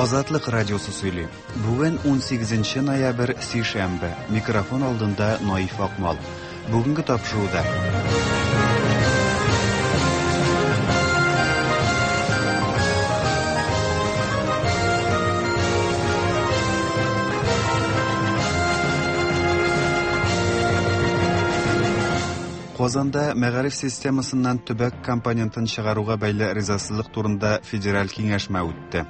Азатлык радиосы сөйли. Бүген 18 ноябрь, сишәмбе. Микрофон алдында Наиф Акмал. Бүгенге тапшыруда. Казанда мәгариф системасыннан төбәк компонентын чыгаруга бәйле ризасызлык турында федераль киңәшмә үтте.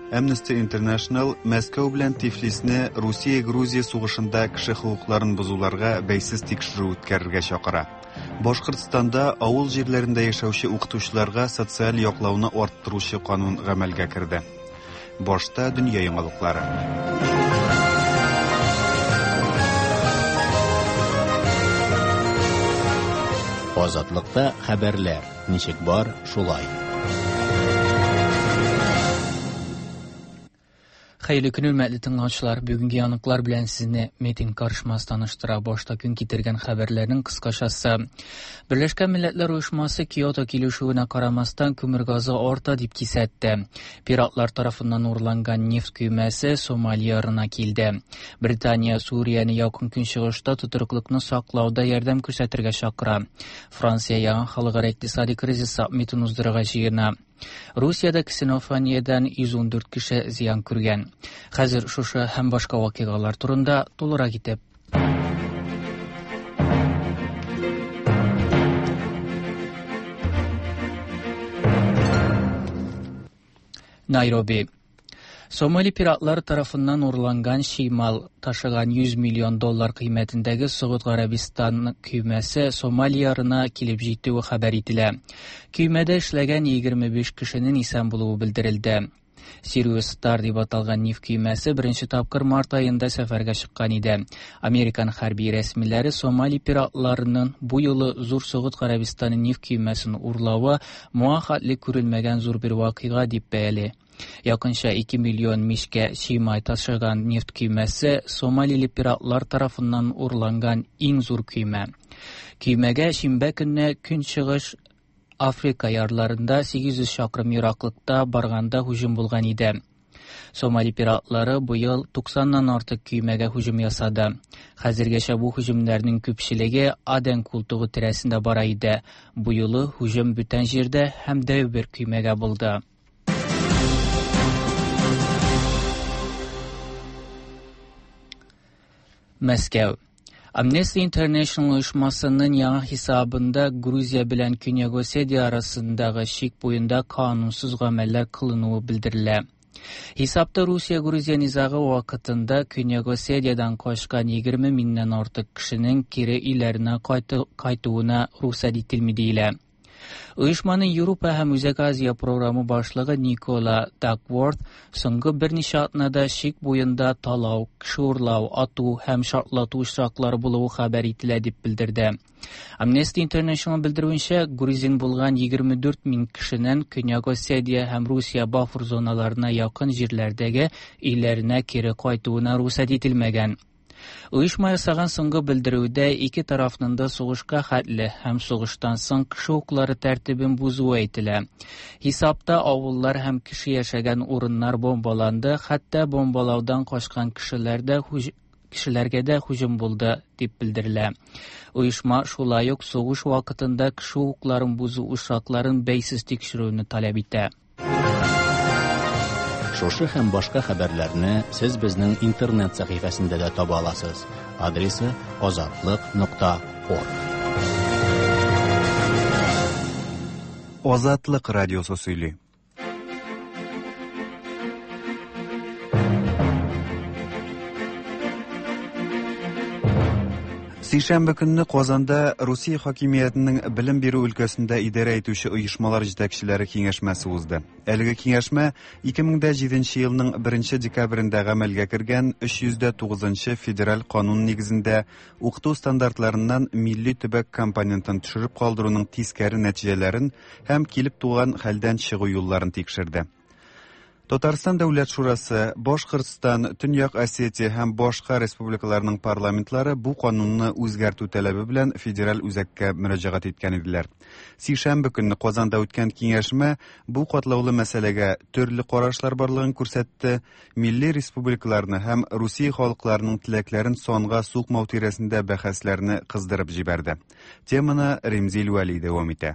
Amnesty International Мәскәү белән Тифлисне Русия-Грузия сугышында кеше хокукларын бозуларга бәйсез тикшерү үткәрергә чакыра. Башкортстанда авыл җирләрендә яшәүче укытучыларга социаль яклауны арттыручы канун гамәлгә керде. Башта дөнья яңалыклары. Азатлыкта хәбәрләр ничек бар, шулай. Хәерле көн, хөрмәтле тыңлаучылар. Бүгенге яңалыклар белән сезне Метин Карышмас таныштыра. Башта көн китергән хәбәрләрнең кыскачасы. Берләшкән Милләтләр Оешмасы Киото килешүенә карамастан күмер газы арта дип кисәтте. Пиратлар тарафыннан урланган нефть көймәсе Сомали ярына килде. Британия Сүрияне Якын Көнчыгышта тотрыклыкны саклауда ярдәм күрсәтергә чакыра. Франция яңа халыкара икътисади кризис саммитын уздырырга җыена. Русиядә ксенофониядән 114 кеше зыян күргән. Хәзер шушы һәм башка вакыйгалар турында тулырак итеп. Найроби. Сомали пиратлары тарафыннан урланган чимал ташыган 100 миллион доллар кыйммәтендәге Согуд Гарәбистан көймәсе Сомали ярына килеп җитүе хәбәр ителә. Көймәдә эшләгән 25 кешенең исән булуы белдерелде. Сириус Стар дип аталган нефть көймәсе беренче тапкыр март аенда сәфәргә чыккан иде. Американ хәрби рәсмиләре Сомали пиратларының бу юлы зур Согуд Гарәбистаны нефть көймәсен урлавы моңа хәтле күрелмәгән зур бер вакыйга дип бәяли. Якынча 2 миллион мичкә чимай ташыган нефть көймәсе Сомалиле пиратлар тарафыннан урланган иң зур көймә. Көймәгә шимбә көнне Көнчыгыш Африка ярларында 800 чакрым ераклыкта барганда һөҗүм булган иде. Сомали пиратлары быел 90-нан артык көймәгә һөҗүм ясады. Хәзергәчә бу һөҗүмнәрнең күпчелеге Аден култыгы тирәсендә бара иде. Бу юлы һөҗүм бүтән җирдә һәм дәү бер көймәгә булды. Мәскәү. Amnesty International оешмасының яңа хисабында Грузия белән Көньяк Осетия арасындагы чик буенда канунсыз гамәлләр кылынуы белдерелә. Хисапта Русия-Грузия низагы вакытында Көньяк Осетиядән качкан 20 меңнән артык кешенең кире өйләренә кайтуына рөхсәт ителми диелә. Оешманың Европа һәм Үзәк Азия програмы башлыгы Никола Дакворт соңгы берничә атнада чик буенда талау, кеше урлау, ату һәм шартлату очраклары булуы хәбәр ителә дип белдерде. Amnesty International белдерүенчә, грузин булган 24 мең кешенең Көньяк Осетия һәм Русия буфер зоналарына якын җирләрдәге өйләренә кире кайтуына рөхсәт ителмәгән. Оешма ясаган соңгы белдерүдә ике тарафның да сугышка хәтле һәм сугыштан соң кеше хокуклары тәртибен бозуы әйтелә. Хисапта авыллар һәм кеше яшәгән урыннар бомбаланды, хәтта бомбалаудан качкан кешеләр дә кешеләргә дә һөҗүм булды, дип белдерелә. Оешма шулай ук сугыш вакытында кеше хокукларын бозу очракларын бәйсез тикшерүне таләп итә. Шушы һәм башка хәбәрләрне сез безнең интернет сәхифәсендә дә таба аласыз. Адресы azatliq.org. Азатлык радиосы сөйли. Сишәмбе көнне Казанда Русия хакимиятенең белем бирү өлкәсендә идарә итүче оешмалар җитәкчеләре киңәшмәсе узды. Әлеге киңәшмә 2007 елның 1 декабрендә гамәлгә кергән 309 федераль канун нигезендә укыту стандартларыннан милли төбәк компонентын төшереп калдыруның тискәре нәтиҗәләрен һәм килеп туган хәлдән чыгу юлларын тикшерде. Татарстан Дәүләт шурасы, Башкортстан, Төньяк Осетия һәм башка республикаларның парламентлары бу канунны үзгәртү таләбе белән федераль үзәккә мөрәҗәгать иткән иделәр. Сишәмбе көнне Казанда үткән киңәшмә бу катлаулы мәсьәләгә төрле карашлар барлыгын күрсәтте, милли республикаларны һәм Русия халыкларының теләкләрен санга сукмау тирәсендә бәхәсләрне кыздырып җибәрде. Теманы Ремзил Вәли дәвам итә.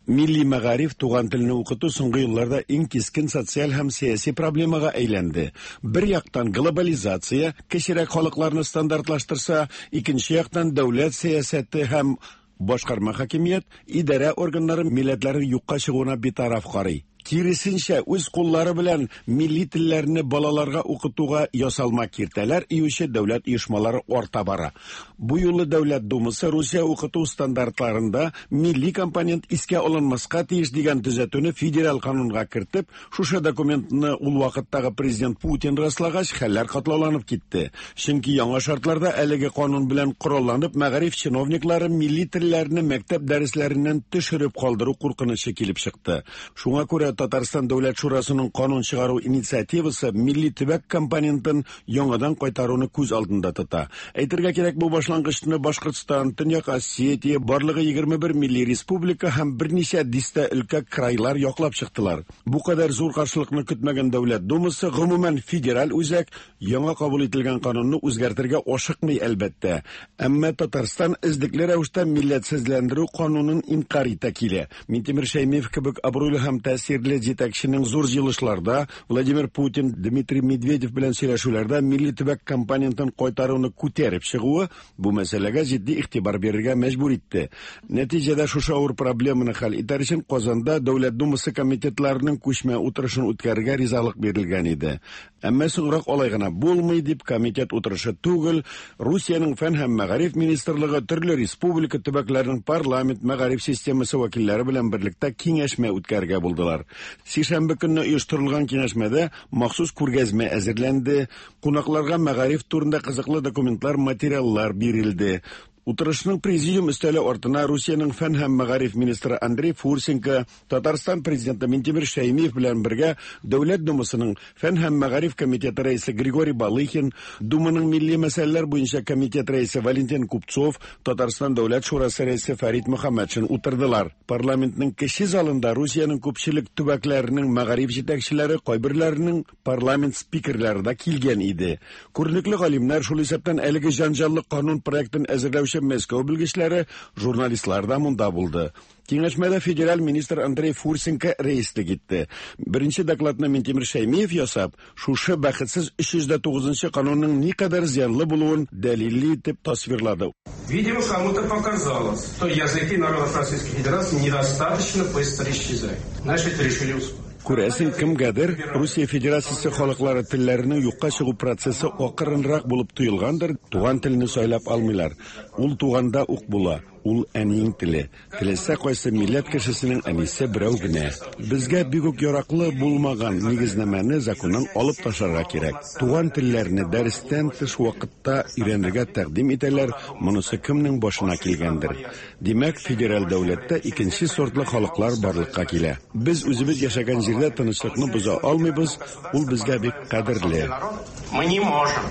Милли мәгариф, туган телне укыту соңгы елларда иң кискен социаль һәм сәяси проблемага әйләнде. Бер яктан глобализация кечерәк халыкларны стандартлаштырса, икенче яктан дәүләт сәясәте һәм башкарма хакимият, идарә органнары милләтләрнең юкка чыгуына битараф карый. Киресенчә, үз куллары белән милли телләрне балаларга укытуга ясалма киртәләр өюче дәүләт оешмалары арта бара. Бу юлы Дәүләт Думасы Русия укыту стандартларында милли компонент искә алынмаска тиеш дигән төзәтүне федераль канунга кертеп, шушы документны ул вакыттагы президент Путин раслагач, хәлләр катлауланып китте. Чөнки яңа шартларда әлеге канун белән коралланып, мәгариф чиновниклары милли телләрне мәктәп дәресләреннән төшереп калдыру куркынычы килеп чыкты. Шуңа күрә Татарстан Дәүләт Шурасының канун чыгару инициативасы милли төбәк компонентын яңадан кайтаруны күз алдында тота. Әйтергә кирәк, бу башлангычны Башкортстан, Төньяк Осетия, барлыгы 21 милли республика һәм берничә дистә өлкә крайлар яклап чыктылар. Бу кадәр зур каршылыкны көтмәгән Дәүләт Думасы, гомумән, федераль үзәк яңа кабул ителгән канунны үзгәртергә ашыкмый, әлбәттә. Әмма Татарстан эзлекле рәвештә милләтсезләндерү канунын инкарь итә килә. Минтимер Шәймиев кебек абруйлы һәм тәэсирле җитәкченең зур җыелышларда Владимир Путин, Дмитрий Медведев белән сөйләшүләрдә милли төбәк компонентын кайтаруны күтәреп чыгуы бу мәсьәләгә җитди игътибар бирергә мәҗбүр итте. Нәтиҗәдә шушы авыр проблеманы хәл итәр өчен Казанда Дәүләт Думасы комитетларының күчмә утырышын үткәрергә ризалык бирелгән иде. Әмма соңрак алай гына булмый дип комитет утырышы түгел, Русиянең фән һәм мәгариф министрлыгы төрле республика төбәкләренең парламент мәгариф системасы вәкилләре белән берлектә киңәшмә үткәрергә булдылар. Сишәмбе көнне оештырылган киңәшмәдә махсус күргәзмә әзерләнде, кунакларга мәгариф турында кызыклы документлар, материаллар бирелде. Утырышның президиум өстәле артына Русиянең фән һәм мәгариф министры Андрей Фурсенко, Татарстан президенты Минтимер Шәймиев белән бергә Дәүләт Думасының фән һәм мәгариф комитеты рәисе Григорий Балыхин, Думаның милли мәсьәләләр буенча комитет рәисе Валентин Купцов, Татарстан Дәүләт шурасы рәисе Фәрит Мөхәммәтшин утырдылар. Парламентның кече залында Русиянең күпчелек төбәкләренең мәгариф җитәкчеләре, кайберләренең парламент спикерлары да килгән иде. Күренекле галимнәр, шул исәптән әлеге җанҗаллы канун проектын әзерләүче Мәскәү белгечләре, журналистлар да монда булды. Киңәшмәдә федераль министр Андрей Фурсенко рәислек итте. Беренче докладны Минтимер Шәймиев ясап, шушы бәхетсез 309 канунның никадәр зыянлы булуын дәлилле итеп тасвирлады. Видимо, кому-то показалось, что языки народов Российской Федерации недостаточно быстро исчезают. Значит, решили ускорить. Күрәсең, кемгәдер Русия Федерациясе халыклары телләренең юкка чыгу процессы акрынрак булып тоелгандыр, туган телне сайлап алмыйлар. Ул туганда ук була, ул әниең теле. Теләсә кайсы милләт кешесенең әнисе берәү генә. Безгә бик үк яраклы булмаган нигезнамәне законнан алып ташларга кирәк. Туган телләрне дәрестән тыш вакытта өйрәнергә тәкъдим итәләр, монысы кемнең башына килгәндер. Димәк, федераль дәүләттә икенче сортлы халыклар барлыкка килә. Без үзебез яшәгән җирдә тынычлыкны боза алмыйбыз, ул безгә бик кадерле. Мы не можем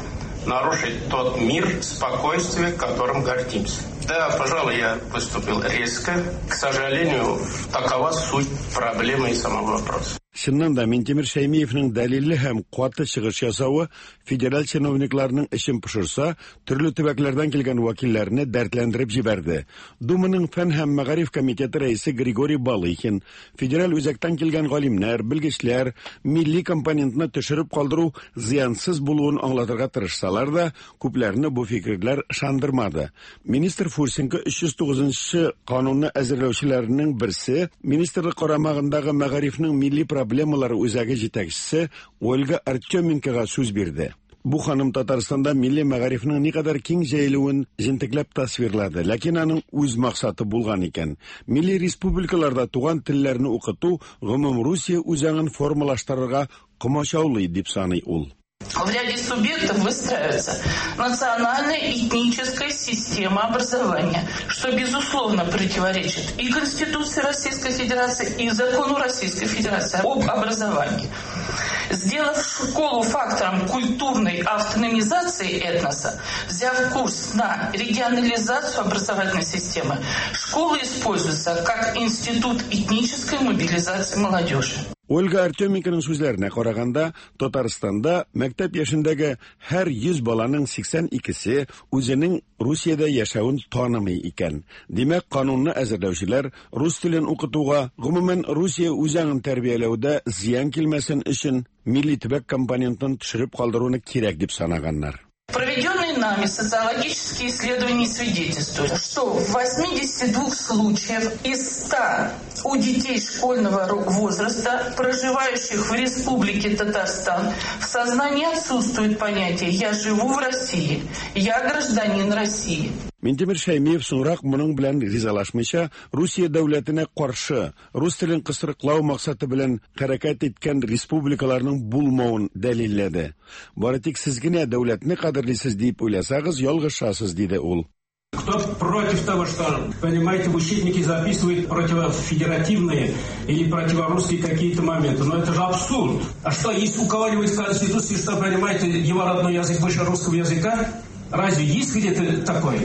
нарушить тот мир, спокойствие, которым гордимся. Да, пожалуй, я выступил резко. К сожалению, такова суть проблемы и самого вопроса. Чыннан да, Минтимер Шәймиевнең дәлилле һәм каты чыгыш ясавы федераль чиновникларның эчен пошырса, төрле төбәкләрдән килгән вәкилләрне дәртләндереп җибәрде. Думаның фән һәм мәгариф комитеты рәисе Григорий Балыхин, федераль үзәктән килгән галимнәр, белгечләр милли компонентны төшереп калдыру зыянсыз булуын аңлатырга тырышсалар да, күпләрне бу фикерләр ышандырмады. Министр Фурсенко 309 канунны әзерләүчеләрнең берсе, министрлык карамагындагы мәгарифнең милли проблемалары үзәге җитәкчесе Ольга Артеменкога сүз бирде. Бу ханым Татарстанда милли мәгарифнең никадәр киң җәелүен җентекләп тасвирлады, ләкин аның үз максаты булган икән. Милли республикаларда туган телләрне укыту гомум Русия үзаңын формалаштырырга комачаулый дип саный ул. В ряде субъектов выстраивается национальная этническая система образования, что, безусловно, противоречит и Конституции Российской Федерации, и закону Российской Федерации об образовании. Сделав школу фактором культурной автономизации этноса, взяв курс на регионализацию образовательной системы, школа используется как институт этнической мобилизации молодежи. Ольга Артеменконың сүзләренә караганда, Татарстанда мәктәп яшендәге һәр 100 баланың 82-се үзенең Русиядә яшәвен танымый икән. Димәк, канунны әзерләүчеләр рус телен укытуга, гомумән Русия үзаңын тәрбияләүдә зыян килмәсен өчен милли төбәк компонентын төшереп калдыруны кирәк дип санаганнар. Проведенные нами социологические исследования свидетельствуют, что в 82 случаев из 100 у детей школьного возраста, проживающих в Республике Татарстан, в сознании отсутствует понятие «я живу в России», «я гражданин России». Минтимер Шәймиев соңрак моның белән ризалашмыйча, Русия дәүләтенә каршы рус телен кысрыклау максаты белән хәрәкәт иткән республикаларның булмавын дәлилләде. Бары тик сез генә дәүләтне кадерлисез дип уйласагыз, ялгышасыз, диде ул. Кто против того, что, понимаете, в учебнике записывают противофедеративные или противорусские какие-то моменты? Но это же абсурд. А что, есть у кого-нибудь в Конституции, что, понимаете, его родной язык выше русского языка? Разве есть где-то такое?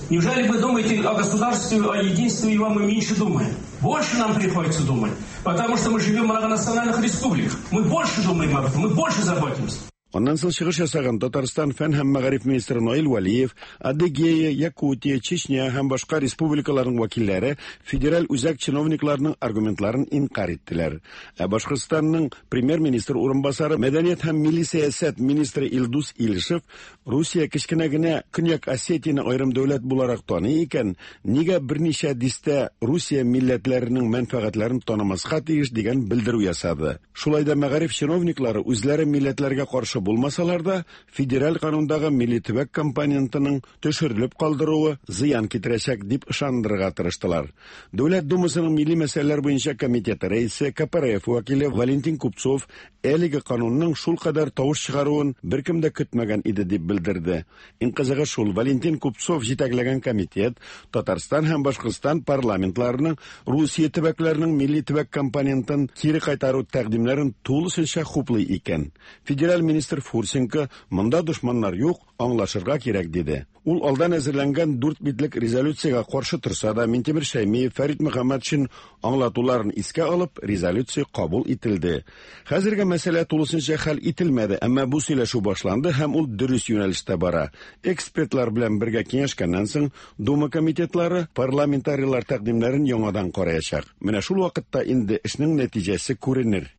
Неужели вы думаете о государстве, о единстве его мы меньше думаем? Больше нам приходится думать, потому что мы живем в многонациональных республиках. Мы больше думаем об этом, мы больше заботимся. Аннан соң чыгыш ясаган Татарстан фән һәм мәгариф министры Наил Вәлиев, Адыгея, Якутия, Чечня һәм башка республикаларның вәкилләре федераль үзәк чиновникларының аргументларын инкарь иттеләр. Ә Башкортстанның премьер-министр урынбасары, мәдәният һәм милли сәясәт министры Илдус Илшев Русия кечкенә генә Көньяк Осетияне аерым дәүләт буларак таный икән, нигә берничә дистә Русия милләтләренең мәнфәгатьләрен танымаска тиеш дигән белдерү ясады. Шулай да мәгариф чиновниклары үзләре милләтләргә каршы булмасалар да, федераль канундагы милли төбәк компонентының төшерелеп калдыруы зыян китерәчәк дип ышандырырга тырыштылар. Дәүләт Думасының милли мәсьәләләр буенча комитеты рәисе, КПРФ вәкиле Валентин Купцов әлеге канунның шулкадәр тавыш чыгаруын беркем дә көтмәгән иде дип белдерде. Иң кызыгы шул, Валентин Купцов җитәкләгән комитет Татарстан һәм Башкортстан парламентларының Русия төбәкләренең милли төбәк компонентын кире кайтару тәкъдимнәрен тулысынча хуплый икән. Федераль министр Фурсенко монда дошманнар юк, аңлашырга кирәк диде. Ул алдан әзерләнгән 4 битлек резолюциягә каршы торса да, Минтимер Шәймиев, Фәрит Мөхәммәтшин аңлатуларын искә алып, резолюция кабул ителде. Хәзергә мәсьәлә тулысынча хәл ителмәде, әмма бу сөйләшү башланды һәм ул дөрес юнәлештә бара. Экспертлар белән бергә киңәшкәннән соң Дума комитетлары парламентарийлар тәкъдимнәрен яңадан караячак. Менә шул вакытта инде эшнең нәтиҗәсе күренер.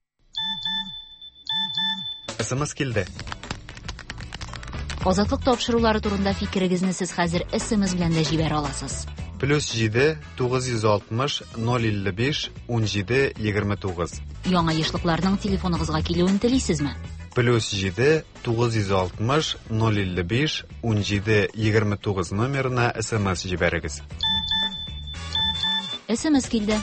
СМС килде. Азатлык тапшырулары турында фикерегезне сез хәзер СМС белән дә җибәрә аласыз. Плюс 7 960 055 17 29. Яңа ешлыкларның телефоныгызга килүен телисезме? Плюс 7 960 055 17 29 номерына СМС җибәрегез. СМС килде.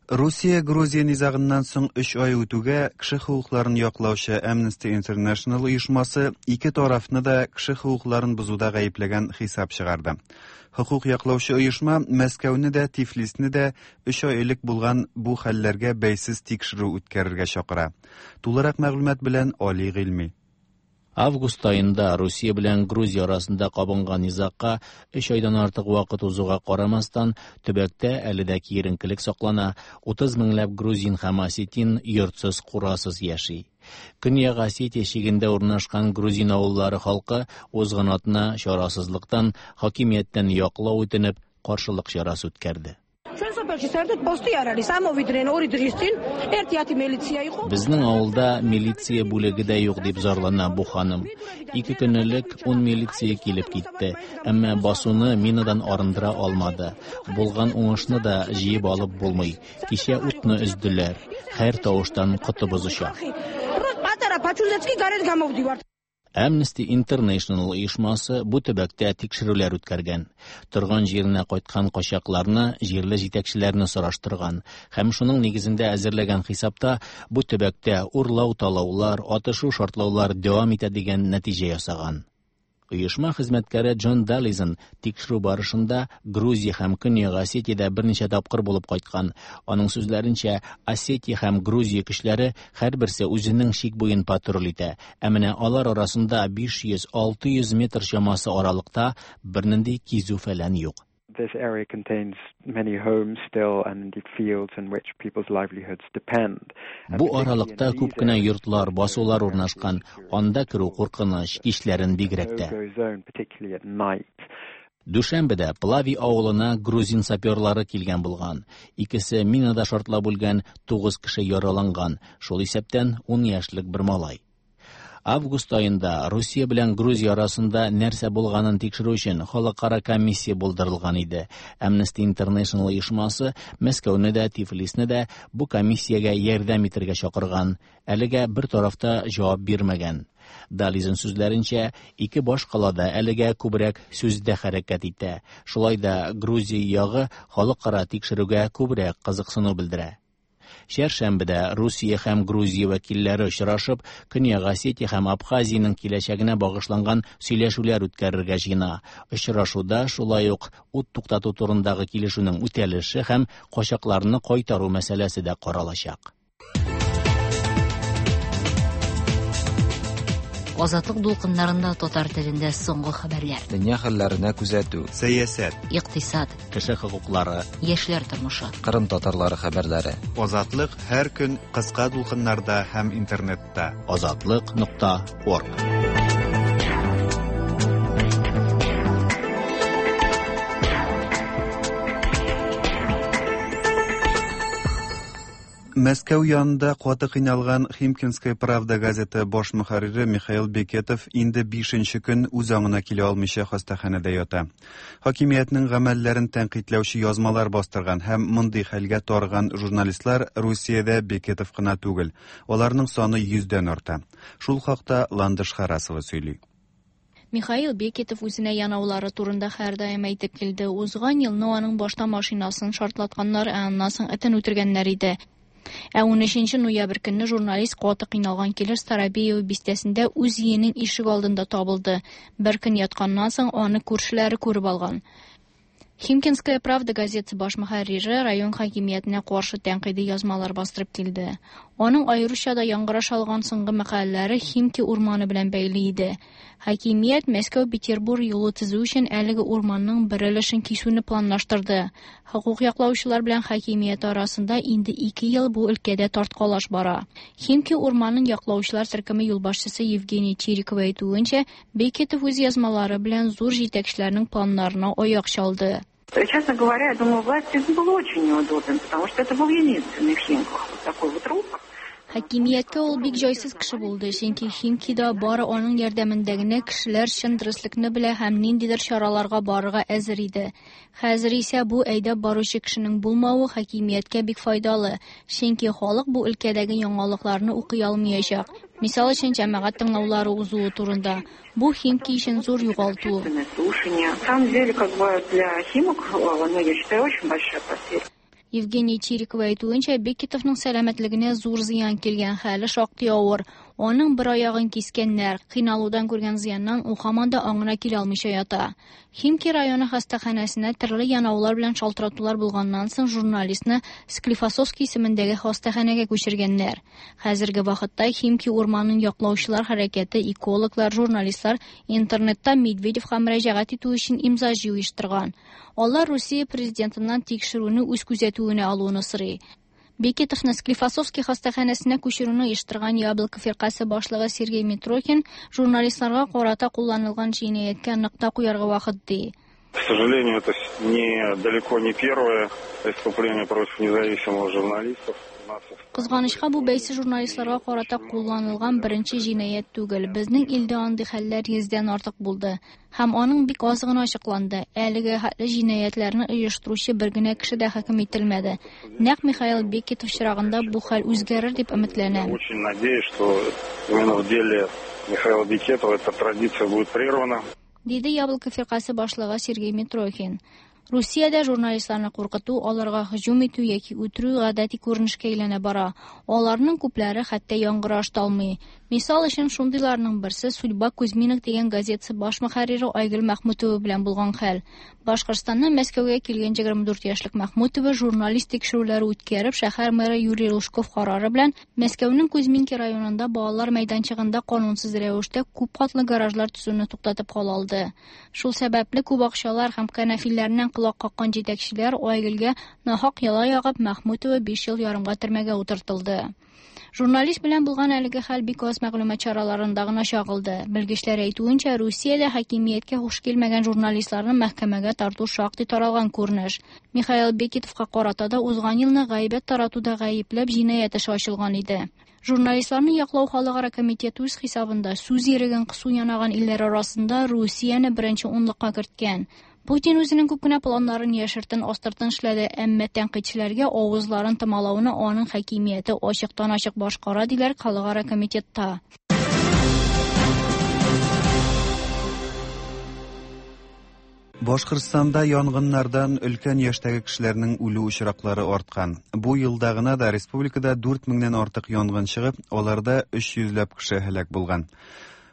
Русия-Грузия низагыннан соң 3 ай үтүгә кеше хокукларын яклаучы Amnesty International оешмасы ике тарафны да кеше хокукларын бозуда гаепләгән хисап чыгарды. Хокук яклаучы оешма Мәскәүне дә, Тифлисне дә 3 ай элек булган бу хәлләргә бәйсез тикшерү үткәрергә чакыра. Тулырак мәгълүмат белән Али Гыйльми. Август аенда Русия белән Грузия арасында кабынган низагка 3 айдан артык вакыт узуга карамастан, төбәктә әле дә киеренкелек саклана. 30 меңләп грузин һәм осетин йортсыз, курасыз яши. Көньяк Осетия чигендә урнашкан грузин авыллары халкы узган атна чарасызлыктан хакимияттән яклау үтенеп каршылык чарасы үткәрде. ჩვენ სოფელში საერთოდ პოსტი არ არის. ამოვიდნენ ორი დღის წინ, 1-10 მილიცია იყო. Безнең авылда милиция бүлеге дә юк дип зарлана бу ханым. 2 көн элек 10 милиция килеп китте, әмма басуны минадан арындыра алмады. Булган уңышны да җыеп алып булмый. Кичә утны өзделәр. Һәр тавыштан котыбыз оча. პატარა ფაჩუზეც კი გარეთ გამოვდივართ. Amnesty International оешмасы бу төбәктә тикшерүләр үткәргән. Торган җиренә кайткан качакларны, җирле җитәкчеләрне сораштырган һәм шуның нигезендә әзерләгән хисапта бу төбәктә урлау, талаулар, атышу, шартлаулар дәвам итә дигән нәтиҗә ясаган. Оешма хезмәткәре Джон Даллизен тикшерү барышында Грузия һәм Көньяк Осетиядә берничә тапкыр булып кайткан. Аның сүзләренчә, Осетия һәм Грузия көчләре һәрберсе үзенең чик буен патруль итә. Ә менә алар арасында 500-600 метр чамасы аралыкта бернинди кизү-фәлән юк. This area contains many homes still and indeed fields in which people's livelihoods depend. Бу аралыкта күп кенә йортлар, басулар урнашкан. Анда керү куркыныч, кичләрен бигрәк тә. Дүшәмбедә Плави авылына грузин саперлары килгән булган. Икесе минада шартлап үлгән, 9 кеше яраланган, шул исәптән 10 яшьлек бер малай. Август аенда Русия белән Грузия арасында нәрсә булганын тикшерү өчен халыкара комиссия булдырылган иде. Amnesty International оешмасы Мәскәүне дә, Тифлисне дә бу комиссиягә ярдәм итәргә чакырган. Әлегә бер тарафта җавап бирмәгән. Даллизен сүзләренчә, ике баш калада әлегә күбрәк сүздә хәрәкәт итә. Шулай да Грузия ягы халыкара тикшерүгә күбрәк кызыксыну белдерә. Чәршәмбедә Русия һәм Грузия вәкилләре очрашып, Көньяк Осетия һәм Абхазиянең киләчәгенә багышланган сөйләшүләр үткәрергә җыена. Очрашуда шулай ук ут туктату турындагы килешүнең үтәлеше һәм качакларны кайтару мәсьәләсе дә каралачак. Азатлык дулкыннарында татар телендә соңгы хәбәрләр. Дөнья хәлләренә күзәтү. Сәясәт. Икътисад. Кеше хокуклары. Яшьләр тормышы. Кырым татарлары хәбәрләре. Азатлык һәр көн кыска дулкыннарда һәм интернетта. Азатлык.орг. Мәскәү янында каты кыйналган Химкинская правда газеты баш мөхәррире Михаил Бекетов инде 5 көн үз аңына килә алмыйча хастаханәдә ята. Хакимиятнең гамәлләрен тәнкыйтьләүче язмалар бастырган һәм мондый хәлгә тарыган журналистлар Русиядә Бекетов кына түгел. Аларның саны 100дән арта. Шул хакта Ландыш Харасова сөйли. Михаил Бекетов үзенә янаулары турында һәрдаим әйтеп килде. Узган елны аның башта машинасын шартлатканнар, ә аннан соң этен үтергәннәр иде. Ә 13 ноябрь көнне журналист каты кыйналган килеш Старобеево бистәсендә үз өенең ишек алдында табылды. Бер көн ятканнан соң аны күршеләре күреп алган. Химкинская правда газетасы баш мөхәррире район хакимиятенә каршы тәнкыйди язмалар бастырып килде. Аның аеруча да яңгыраш алган соңгы мәкаләләре Химки урманы белән бәйле иде. Хакимият Мәскәү-Петербург юлы төзү өчен әлеге урманның бер өлешен кисүне планлаштырды. Хокук яклаучылар белән хакимият арасында инде 2 ел бу өлкәдә тарткалаш бара. Химки урманын яклаучылар төркеме юлбашчысы Евгений Чириков әйтүенчә, Бекетов үз язмалары белән зур җитәкчеләрнең планнарына аяк чалды. Честно говоря, я думаю, власти был очень неудобен, потому что это был единственный в Химках вот такой вот рупор. Хакимияткә ул бик җайсыз кеше булды, чөнки Химкида бары аның ярдәмендә генә кешеләр чын дөреслекне белә һәм ниндидер чараларга барырга әзер иде. Хәзер исә бу әйдәп баручы кешенең булмавы хакимияткә бик файдалы, чөнки халык бу өлкәдәге яңалыкларны укый алмаячак. Мисал өчен, җәмәгать тыңлаулары узуы турында. Бу Химки өчен зур югалту. На самом деле, как бы для Химок, ну, я считаю, очень большая потеря. Евгений Чириков әйтүенчә, Бекетовның сәламәтлегенә зур зыян килгән, хәле шактый авыр. Аның бер аягын кискәннәр, кыйналудан күргән зыяннан ул һаман да аңына килә алмыйча ята. Химки районы хастаханәсенә төрле янаулар белән шалтыратулар булганнан соң журналистны Склифосовский исемендәге хастаханәгә күчергәннәр. Хәзерге вакытта Химки урманын яклаучылар хәрәкәте, экологлар, журналистлар интернетта Медведевка мөрәҗәгать итү өчен имза җыю оештырган. Алар Русия президентыннан тикшерүне үз күзәтүенә алуны сорый. Бекетовны Склифосовский хастаханәсенә күчерүне оештырган Яблоко фиркасе башлыгы Сергей Митрохин журналистларга карата кулланылган җинаятькә нокта куярга вакыт ди. К сожалению, это далеко не первое преступление против независимых журналистов. Кызганычка, бу бәйсез журналистларга карата кулланылган беренче җинаять түгел. Безнең илдә андый хәлләр 100дән артык булды. Һәм аның бик аз гына ачыкланды. Әлеге хәтле җинаятьләрне оештыручы бер генә кеше дә хөкем ителмәде. Нәкъ Михаил Бекетов чирагында бу хәл үзгәрер дип өметләнәм. Очень надеюсь, что именно в деле Михаила Бекетова эта традиция будет прервана. Диде Яблоко фиркасе башлыгы Сергей Митрохин. Русиядә журналистларны куркыту, аларга һөҗүм итү яки үтерү гадәти күренешкә әйләнә бара. Аларның күпләре хәтта яңгыраш та алмый. Мисал өчен, шундыйларның берсе Судьба Кузьминок дигән газетасы баш мөхәррире Айгөл Мәхмүтова белән булган хәл. Башкортстаннан Мәскәүгә килгән 24 яшьлек Мәхмүтова журналист тикшерүләре үткәреп, шәһәр мэры Юрий Лужков карары белән Мәскәүнең Кузьминки районында балалар мәйданчыгында канунсыз рәвештә күп катлы гаражлар төзүне туктатып кала алды. Шул сәбәпле күп акчалар һәм кәнәфиләреннән колак каккан җитәкчеләр Айгөлгә нахак яла ягып, Мәхмүтова 5 ел ярымга төрмәгә утыртылды. Журналист белән булган әлеге хәл бик аз мәгълүмат чараларында гына чагылды. Белгечләр әйтүенчә, Русиядә хакимияткә хуш килмәгән журналистларны мәхкәмәгә тарту шактый таралган күренеш. Михаил Бекетовка карата да узган елны гайбәт таратуда гаепләп җинаять эше ачылган иде. Журналистларны яклау халыкара комитеты үз хисабында сүз иреген кысу янаган илләр арасында Русияне беренче унлыкка керткән. Путин үзенең күп кенә планнарын яшертен астыртын эшләде, әмма тәнкыйтьчеләргә авызларын томалауны аның хакимияте ачыктан-ачык башкара, диләр халыкара комитетта. Башкортстанда янгыннардан өлкән яшьтәге кешеләрнең үлү очраклары арткан. Бу елда гына да республикада 4 меңнән артык янгын чыгып, аларда 300 ләп кеше һәлак булган.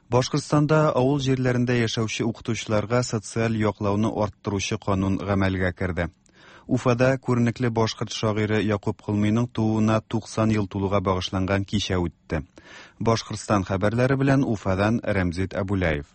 Башкортстанда авыл җирләрендә яшәүче укытучыларга социаль яклауны арттыручы канун гамәлгә керде. Уфада күренекле башкорт шагыйре Якуб Колмыйның тууына 90 ел тулуга багышланган кичә үтте. Башкортстан хәбәрләре белән Уфадан Рәмзит Абуляев.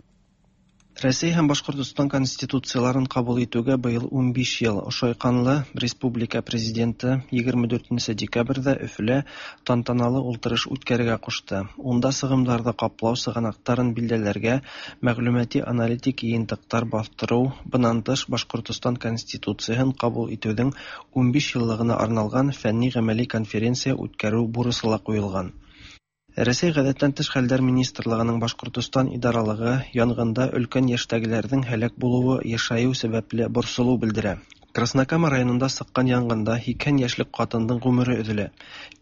Рәсәй һәм Башкортостан конституцияларын кабул итүгә быел 15 ел. Ошайканлы республика президенты 24 декабрьдә Өфөлә тантаналы ултырыш үткәрергә кушты. Унда сығымдарҙы ҡаплау сығанаҡтарын билдәләргә, мәғлүмәти аналитик йыйынтыҡтар баҫтырыу, бынан тыш Башкортостан конституцияһын ҡабул итеүҙең 15 йыллығына арналған фәнни-ғәмәли конференция үткәреү бурысы ла ҡуйылған. Рәсәй ғәҙәттән тыш хәлдәр министрлығының Башҡортостан идаралығы янғында өлкән йәштәгеләрҙең һәләк булыуы йышайыу сәбәпле борсолоу белдерә. Краснокама районында сыҡҡан янғында 80 йәшлек ҡатындың ғүмере өҙөлә.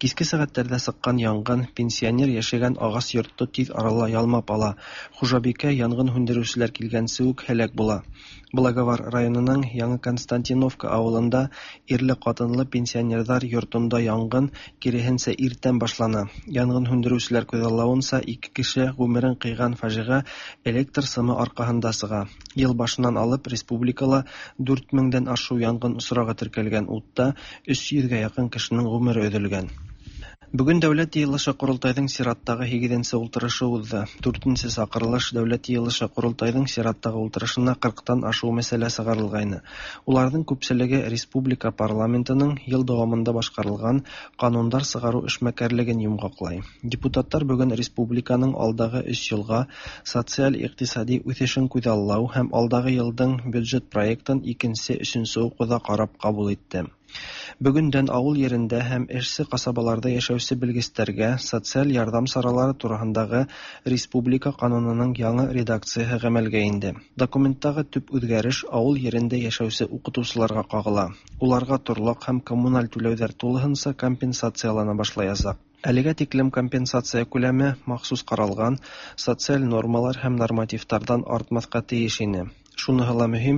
Киске сәғәттәрҙә сыҡҡан янғын пенсионер йәшәгән ағас йортто тиҙ арала ялмап ала. Хужабикә янғын һүндереүселәр килгәнсе үк һәләк була. Благовар районының Яңы Константиновка ауылында ирле-ҡатынлы пенсионерҙар йортонда янғын киреһенсә иртән башлана. Янғын һүндереүселәр күҙаллауынса, 2 кеше ғүмерен ҡыйған фажиғә электр сымы арҡаһында сыға. Йыл башынан алып республикала 4 меңдән ашыу янғын осрағы теркәлгән, утта 300-гә яҡын кешенең ғүмере өҙөлгән. Бөгөн Дәүләт йыйылышы Ҡоролтайҙың сираттағы 8-нсе ултырышы уҙҙы. 4-нсе саҡырылыш Дәүләт йыйылышы Ҡоролтайҙың сираттағы ултырышына 40-тан ашыу мәсьәлә сығарылғайны. Уларҙың күпселеге республика парламентының йыл дауамында башҡарылған ҡанундар сығарыу эшмәкәрлеген йомғаҡлай. Депутаттар бөгөн республиканың алдағы 3 йылға социаль-иҡтисади үҫешен күҙаллау һәм алдағы йылдың бюджет проектын 2-3 уҡыуҙа ҡарап ҡабул итте. Бөгөндән ауыл ерендә һәм эшсе ҡасабаларҙа йәшәүсе белгестәргә социаль ярҙам саралары тураһындағы республика ҡанунының яңы редакцияһы ғәмәлгә инде. Документтағы төп үҙгәреш ауыл ерендә йәшәүсе уҡытыусыларға ҡағыла. Уларға торлаҡ һәм коммуналь түләүҙәр тулыһынса компенсациялана башлаясаҡ. Әлегә тиклем компенсация күләме махсус ҡаралған социаль нормалар һәм нормативтарҙан артмаҫҡа тейеш ине. Шуныһы ла мөһим,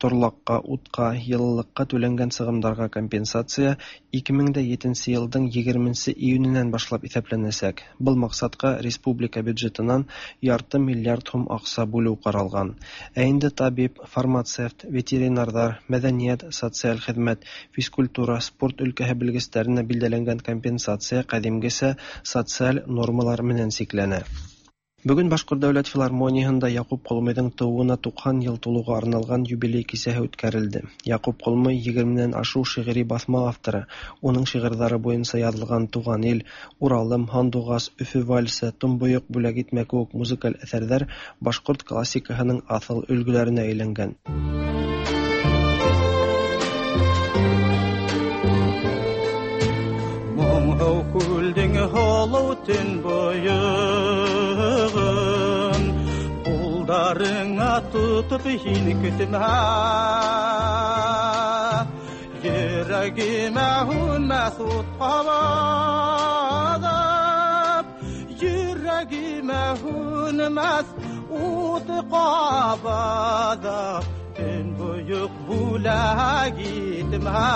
торлаҡҡа, утҡа, йылылыҡҡа түләнгән сығымдарға компенсация 2007 йылдың 20 июненән башлап иҫәпләнәсәк. Был маҡсатҡа республика бюджетынан 0,5 миллиард һум аҡса бүлеү ҡаралған. Ә инде табип, фармацевт, ветеринарҙар, мәҙәниәт, социаль хеҙмәт, физкультура, спорт өлкәһе белгестәренә билдәләнгән компенсация ҡәҙимгесә социаль нормалар менән сикләнә. Бөгөн Башҡорт дәүләт филармонияһында Яҡуп Ҡолмыйҙың тыуыуына 90 йыл тулыуға арналған юбилей кисәһе үткәрелде. Яҡуп Ҡолмый 20-нән ашыу шиғри баҫма авторы. Уның шиғырҙары буйынса яҙылған «Туған ил», «Уралым», «Һандуғас», «Өфө вальсы», «Томбойоҡ бүләк итмә» кеүек музыкаль әҫәрҙәр башҡорт классикаһының аҫыл өлгөләренә әйләнгән. Моңһоу күлдең һолоу төн бойығын ҡулдарыңа тотоп һин көтмә, йөрәгемә һүнмәҫ ут ҡабаҙып, йөрәгемә һүнмәҫ ут ҡабаҙып, төн бойоҡ бүләк итмә.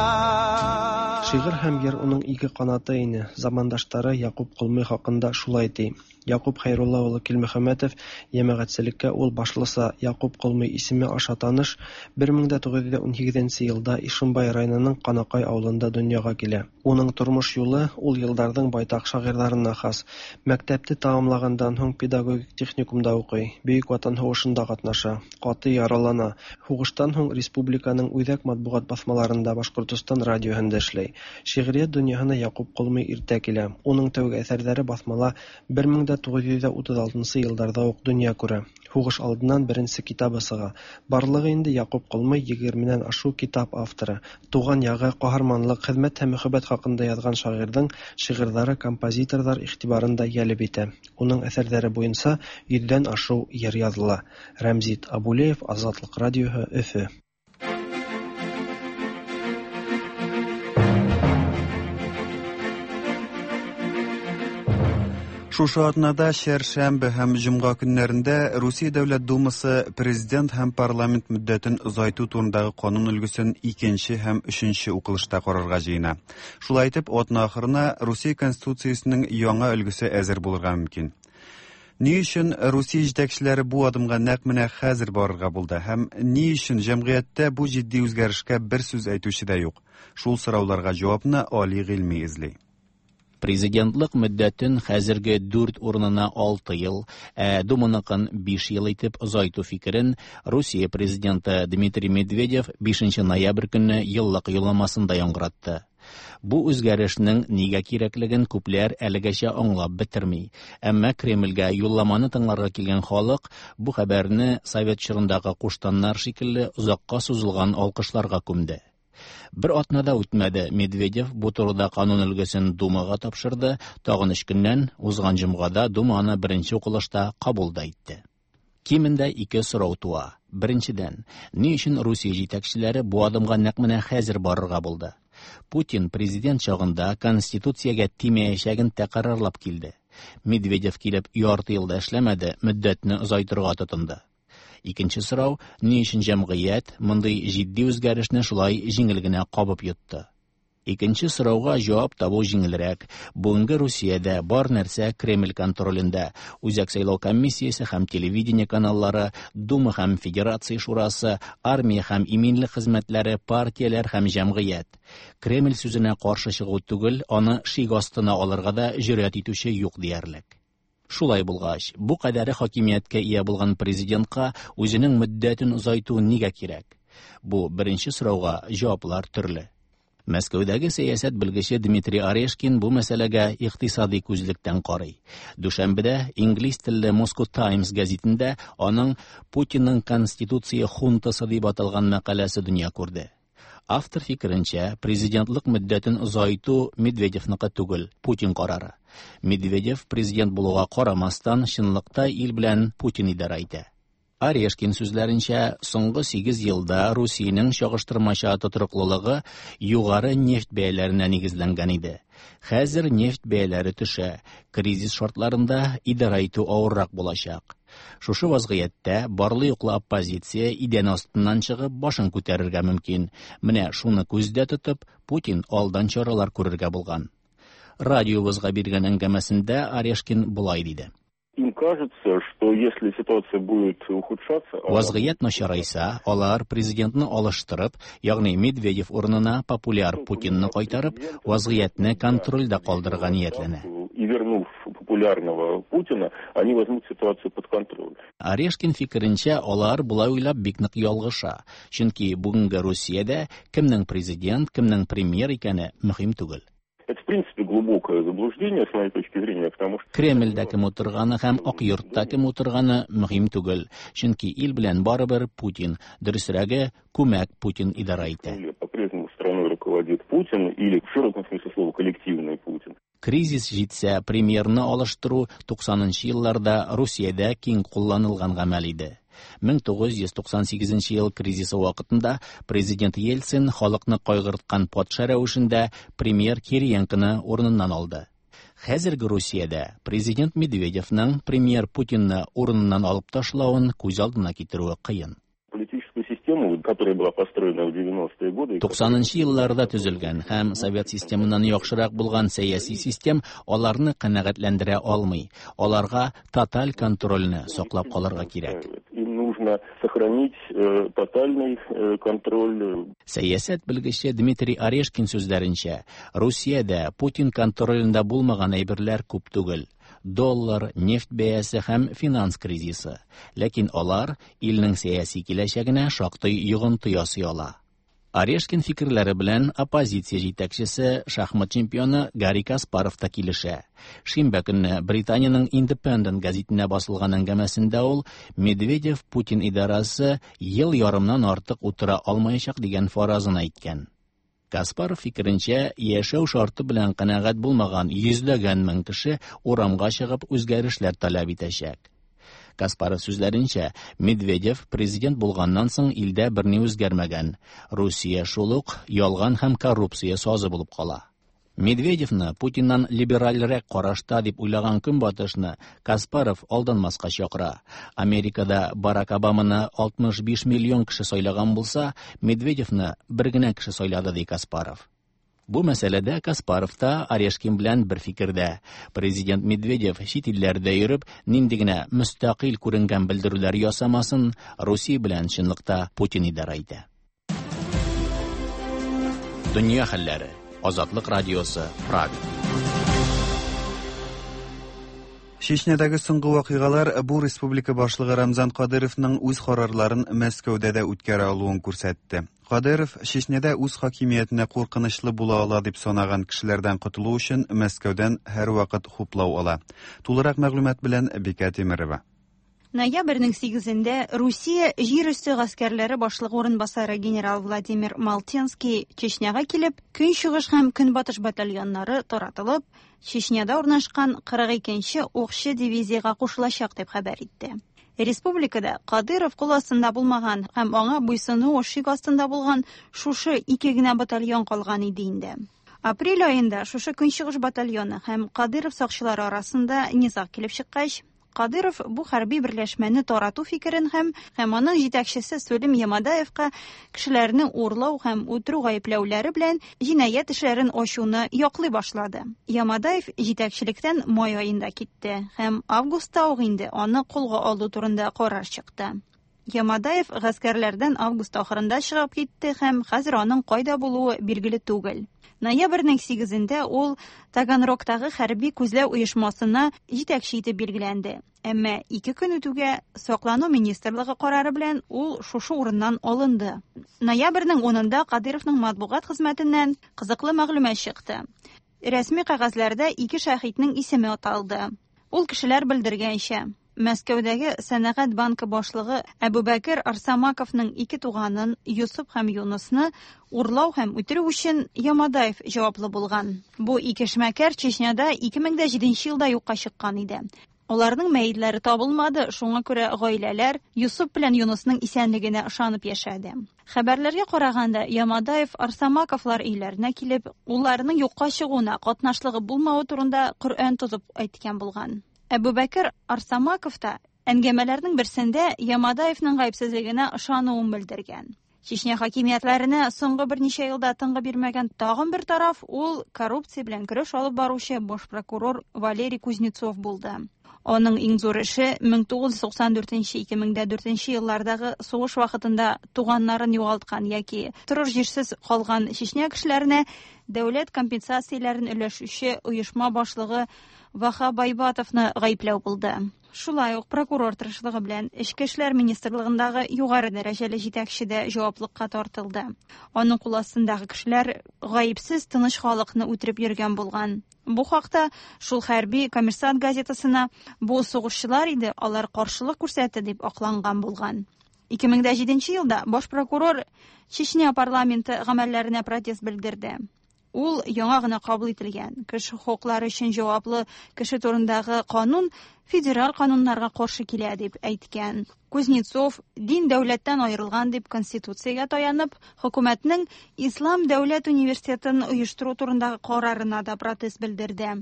Шигырь һәм йыр уның ике канаты ине. Замандаштары Якуб Колмый хакында шулай ди. Якуб Хәйрулла улы Килмөхәммәтов йәмәгатьчелеккә ул башлыса Якуб Колмый исеме аша таныш, 1918 елда Ишембай районының Канакай авылында дөньяга килә. Уның тормыш юлы ул елдарның байтак шагыйрьләренә хас. Мәктәпне тәмамлаганнан һуң педагогик техникумда укый, Бөек Ватан сугышында катнаша, каты яралана. Һугыштан һуң республиканың үзәк матбугат басмаларында, Башкортостан радиоһында эшләй. Шигърият дөньяһына Якуб Колмый иртә килә. Уның тәүге әсәрләре басмала 1936 елларда ук дөнья күрә. Һугыш алдыннан беренче китабы чыга. Барлыгы инде Якуб Колмый 20-нән ашу китап авторы. Туган ягы, каһарманлык, хезмәт һәм мәхәббәт хакында язган шагыйрьнең шигырьләре композиторлар игътибарын да җәлеп итә. Уның әсәрләре буенча 100дән ашу йыр языла. Рәмзит Абулеев, Азатлык радиоһы, Өфе. Шушы атнада чәршәмбе һәм җомга көннәрендә Русия Дәүләт Думасы президент һәм парламент мөддәтен озайту турындагы канун өлгесен икенче һәм өченче укылышта карарга җыена. Шулай итеп, атна ахырына Русия Конституциясенең яңа өлгесе әзер булырга мөмкин. Ни өчен Русия җитәкчеләре бу адымга нәкъ менә хәзер барырга булды һәм ни өчен җәмгыятьтә бу җитди үзгәрешкә бер сүз әйтүче дә юк? Шул сорауларга җавапны Али Гыйльми эзли. Президентлык мөддәтен хәзерге 4 урынына 6 ел, ә Думаныкын 5 ел итеп озайту фикерен Русия президенты Дмитрий Медведев 5 ноябрь көнне еллык юлламасында яңгыратты. Бу үзгәрешнең нигә кирәклеген күпләр әлегәчә аңлап бетерми. Әмма Кремльгә юлламаны тыңларга килгән халык бу хәбәрне совет чорындагы куштаннар шикелле озакка сузылган алкышларга күмде. Бер атна да үтмәде, Медведев бу турыда канун өлгесен Думага тапшырды, тагын өч көннән, узган җомгада Дума аны беренче укылышта кабул да итте. Кимендә ике сорау туа. Беренчедән, ни өчен Русия җитәкчеләре бу адымга нәкъ менә хәзер барырга булды? Путин президент чагында конституциягә тимәячәген тәкърарлап килде. Медведев килеп ярты ел да эшләмәде, мөддәтне озайтырга тотынды. Икенче сорау, ни өчен җәмгыять мондый җитди үзгәрешне шулай җиңел генә кабып йотты? Икенче сорауга җавап табу җиңелрәк. Бүгенге Русиядә бар нәрсә Кремль контролендә. Үзәк сайлау комиссиясе һәм телевидение каналлары, Дума һәм Федерация шурасы, армия һәм иминлек хезмәтләре, партияләр һәм җәмгыять. Кремль сүзенә каршы чыгу түгел, аны шик астына алырга да җөрьәт итүче юк диярлек. Шулай булгач, бу кадәре хакимияткә ия булган президентка үзенең мөддәтен озайту нигә кирәк? Бу беренче сорауга җаваплар төрле. Мәскәүдәге сәясәт белгече Дмитрий Орешкин бу мәсьәләгә икътисади күзлектән карый. Дүшәмбедә инглиз телле Moscow Times гәзитендә аның Путинның конституция хунтасы дип аталган мәкаләсе дөнья күрде. Автор фикеренчә, президентлык мөддәтен озайту Медведевныкы түгел, Путин карары. Медведев президент булуга карамастан, чынлыкта ил белән Путин идарә итә. Орешкин сүзләренчә, соңгы 8 елда Русиянең чагыштырмача тотрыклылыгы югары нефть бәяләренә нигезләнгән иде. Хәзер нефть бәяләре төшә, кризис шартларында идарә итү авыррак булачак. Шушы вазгыятьтә барлы-юклы оппозиция идән астыннан чыгып башын күтәрергә мөмкин. Менә шуны күздә тотып, Путин алдан чаралар күрергә булган. Радиобызга биргән әңгәмәсендә Орешкин болай диде. Им кажется, что если ситуация будет ухудшаться... Вазгыять начарайса, алар президентны алыштырып, ягъни Медведев урынына популяр Путинны кайтарып, вазгыятьне контрольдә калдырырга ниятләнә. И вернув популярного Путина, они возьмут ситуацию под контроль. Орешкин фикеренчә, алар болай уйлап бик нык ялгыша. Чөнки бүгенге Русиядә кемнең президент, кемнең премьер икәне мөһим түгел. Это, в принципе, глубокое заблуждение, с моей точки зрения, потому что... Кремльдә кем утырганы һәм Ак йортта кем утырганы мөһим түгел. Чөнки ил белән барыбер Путин, дөресрәге, күмәк Путин идарә итә. По-прежнему страной руководит Путин или, в широком смысле слова, коллективный Путин. Кризис җитсә, премьерны алыштыру 90 елларда Русиядә киң кулланылган гамәл иде. 1998 ел кризисы вакытында президент Ельцин халыкны кайгырткан патша рәвешендә премьер Кириенконы урыныннан алды. Хәзерге Русиядә президент Медведевның премьер Путинны урыныннан алып ташлавын күз алдына китерүе кыен. Политическую систему систему, которая была построена в 90-е годы. 90 елларда төзелгән һәм совет системыннан яхшырак булган сәяси систем аларны канәгатьләндерә алмый. Аларга тоталь контрольне саклап калырга кирәк. Им нужно сохранить тотальный контроль. Сәясәт белгече Дмитрий Орешкин сүзләренчә, Русиядә Путин контролендә булмаган әйберләр күп түгел. Доллар, нефть бәясе һәм финанс кризисы. Ләкин алар илнең сәяси киләчәгенә шактый йогынты ясый ала. Орешкин фикерләре белән оппозиция җитәкчесе, шахмат чемпионы Гарри Каспаров та килешә. Шимбә көнне Британиянең Independent гәзитенә басылган әңгәмәсендә ул Медведев Путин идарәсе ел ярымнан артык утыра алмаячак дигән фаразын әйткән. Каспаров фикеренчә, яшәү шарты белән канәгать булмаган йөзләгән мең кеше урамга чыгып үзгәрешләр таләп итәчәк. Каспаров сүзләренчә, Медведев президент булганнан соң илдә берни үзгәрмәгән. Русия шул ук ялган һәм коррупция сазы булып кала. Медведевны Путиннан либеральрәк карашта дип уйлаган Көнбатышны Каспаров алданмаска чакыра. Америкада Барак Обаманы 65 миллион кеше сайлаган булса, Медведевны бер генә кеше сайлады, ди Каспаров. Бу мәсьәләдә Каспаров та Орешкин белән бер фикердә. Президент Медведев чит илләрдә йөреп, нинди генә мөстәкыйль күренгән белдерүләр ясамасын, Русия белән чынлыкта Путин идарә итә. Дөнья хәлләре. Азатлык радиосы, Прага. Чечнядагы соңгы вакыйгалар бу республика башлыгы Рамзан Кадыровның үз карарларын Мәскәүдә дә үткәрә алуын күрсәтте. Кадыров Чечняда үз хакимиятенә куркынычлы була ала дип санаган кешеләрдән котылу өчен Мәскәүдән һәрвакыт хуплау ала. Тулырак мәгълүмат белән Бикә Тимерова. Ноябрьнең 8-ндә Русия җир өсте гаскәрләре башлыгы урынбасары генерал Владимир Малтенский Чечняга килеп, Көнчыгыш һәм Көнбатыш батальоннары таратылып, Чечняда урнашкан 42нче укчы дивизиягә кушылачак дип хәбәр итте. Республикада Кадыров кул астында булмаган һәм аңа буйсынуы шик астында булган шушы ике генә батальон калган иде инде. Апрель аенда шушы Көнчыгыш батальоны һәм Кадыров сакчылары арасында низаг килеп чыккач, Кадыров бу хәрби берләшмәне тарату фикерен һәм һәм аның җитәкчесе Сулим Ямадаевка кешеләрне урлау һәм үтерү гаепләүләре белән җинаять эшләрен ачуны яклый башлады. Ямадаев җитәкчелектән май аенда китте һәм августта ук инде аны кулга алу турында карар чыкты. Ямадаев гаскәрләрдән август ахырында чыгып китте һәм хәзер аның кайда булуы билгеле түгел. Ноябрьнең 8-ндә ул Таганрогтагы хәрби күзләү оешмасына җитәкче итеп билгеләнде. Әмма ике көн үтүгә Саклану министрлыгы карары белән ул шушы урыннан алынды. Ноябрьнең 10-ында Кадыровның матбугат хезмәтеннән кызыклы мәгълүмат чыкты. Рәсми кәгазьләрдә ике шәһитнең исеме аталды. Ул кешеләр белдергәнчә, Мәскәүдәге Сәнәгать банкы башлыгы Әбүбәкер Арсамаковның ике туганын Йосып һәм Юнысны урлау һәм үтерү өчен Ямадаев җаваплы булган. Бу ике эшмәкәр Чечняда 2007 елда юкка чыккан иде. Аларның мәетләре табылмады, шуңа күрә гаиләләр Йосып белән Юнысның исәнлегенә ышанып яшәде. Хәбәрләргә караганда, Ямадаев Арсамаковлар өйләренә килеп, улларының юкка чыгуына катнашлыгы булмавы турында Коръән тотып әйткән булган. Әбүбәкер Арсамаков та әңгәмәләрнең берсендә Ямадаевның гаепсезлегенә ышануын белдергән. Чечня хакимиятләренә соңгы берничә елда тынгы бирмәгән тагын бер тараф ул коррупция белән көрәш алып баручы баш прокурор Валерий Кузнецов булды. Аның иң зур эше 1994-2004 еллардагы сугыш вакытында туганнарын югалткан яки торыр җирсез калган Чечня кешеләренә дәүләт компенсацияләрен өләшүче оешма башлыгы Ваха Байбатовны гаепләү булды. Шулай ук прокурор тырышлыгы белән Эчке эшләр министрлыгындагы югары дәрәҗәле җитәкче дә җаваплыкка тартылды. Аның кул астындагы кешеләр гаепсез тыныч халыкны үтереп йөргән булган. Бу хакта шул хәрби Коммерсант газетасына бу сугышчылар иде, алар каршылык күрсәтте дип акланган булган. 2007 елда баш прокурор Чечня парламенты гамәлләренә протест белдерде. Ул яңа гына кабул ителгән кеше хокуклары өчен җаваплы кеше турындагы канун федераль кануннарга каршы килә дип әйткән. Кузнецов дин дәүләттән аерылган дип конституциягә таянып, хөкүмәтнең Ислам дәүләт университетын оештыру турындагы карарына да протест белдерде.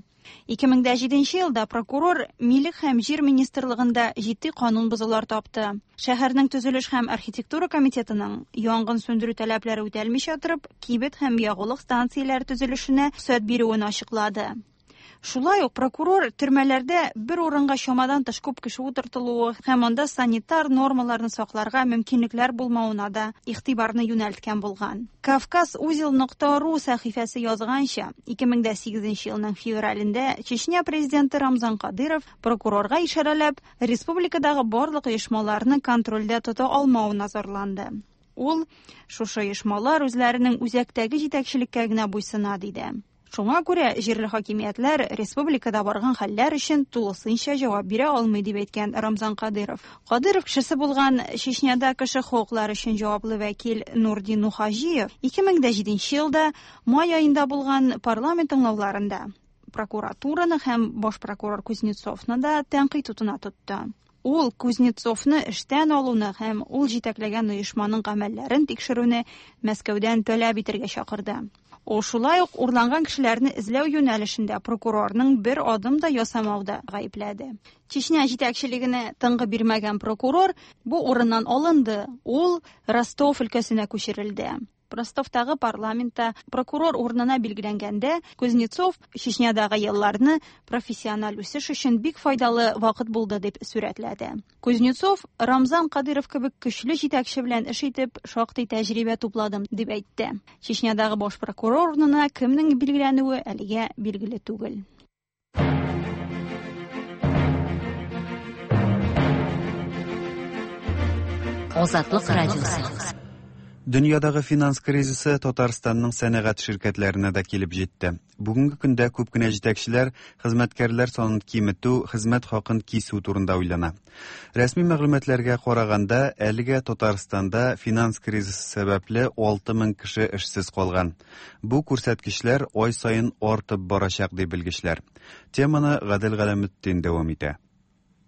2007 елда прокурор Милек һәм җир министрлыгында җитди канун бозулар тапты. Шәһәрнең төзелеш һәм архитектура комитетының янгын сүндерү таләпләре үтәлмичә торып, кибет һәм ягулык станцияләре төзелешенә рөхсәт бирүен ачыклады. Шулай ук прокурор төрмәләрдә бер урынга чамадан тыш күп кеше утыртылуы һәм анда санитар нормаларны сакларга мөмкинлекләр булмавына да игътибарны юнәлткән булган. Кавказ узел нокта ру сәхифәсе язганча, 2008 елның февралендә Чечня президенты Рамзан Кадыров прокурорга ишарәләп, республикадагы барлык оешмаларны контрольдә тота алмавына зарланды. Ул, шушы оешмалар үзләренең үзәктәге җитәкчелеккә генә буйсына, диде. Шуңа күрә җирле хакимиятләр республикада барган хәлләр өчен тулысынча җавап бирә алмый, дип әйткән Рамзан Кадыров. Кадыров кешесе булган Чечняда кеше хокуклары өчен җаваплы вәкил Нурдин Нухаҗиев 2007 елда май аенда булган парламент тыңлауларында прокуратураны һәм баш прокурор Кузнецовны да тәнкыйть утына тотты. Ул Кузнецовны эштән алуны һәм ул җитәкләгән оешманың гамәлләрен тикшерүне Мәскәүдән таләп итәргә чакырды. Ул шулай ук урланган кешеләрне эзләү юнәлешендә прокурорның бер адым да ясамауда гаепләде. Чечня җитәкчелегенә тынгы бирмәгән прокурор бу урыннан алынды. Ул Ростов өлкәсенә күчерелде. Ростовтагы парламентта прокурор урынына билгеләнгәндә Кузнецов Чечнядагы елларны профессиональ үсеш өчен бик файдалы вакыт булды дип сурәтләде. Кузнецов Рамзан Кадыров кебек көчле җитәкче белән эш итеп шактый тәҗрибә тупладым дип әйтте. Чечнядагы баш прокурор урынына кемнең билгеләнүе әлегә билгеле түгел. Азатлык радиосы. Дөньядагы финанс кризисы Татарстанның сәнәгать ширкәтләренә дә килеп җитте. Бүгенге көндә күп кенә җитәкчеләр хезмәткәрләр санын киметү, хезмәт хакын кисү турында уйлана. Рәсми мәгълүматларга караганда, әлегә Татарстанда финанс кризисы сәбәпле 6000 кеше эшсез калган. Бу күрсәткечләр ай саен артып барачак, ди белгечләр. Теманы Гадел Галәметдин дәвам итә.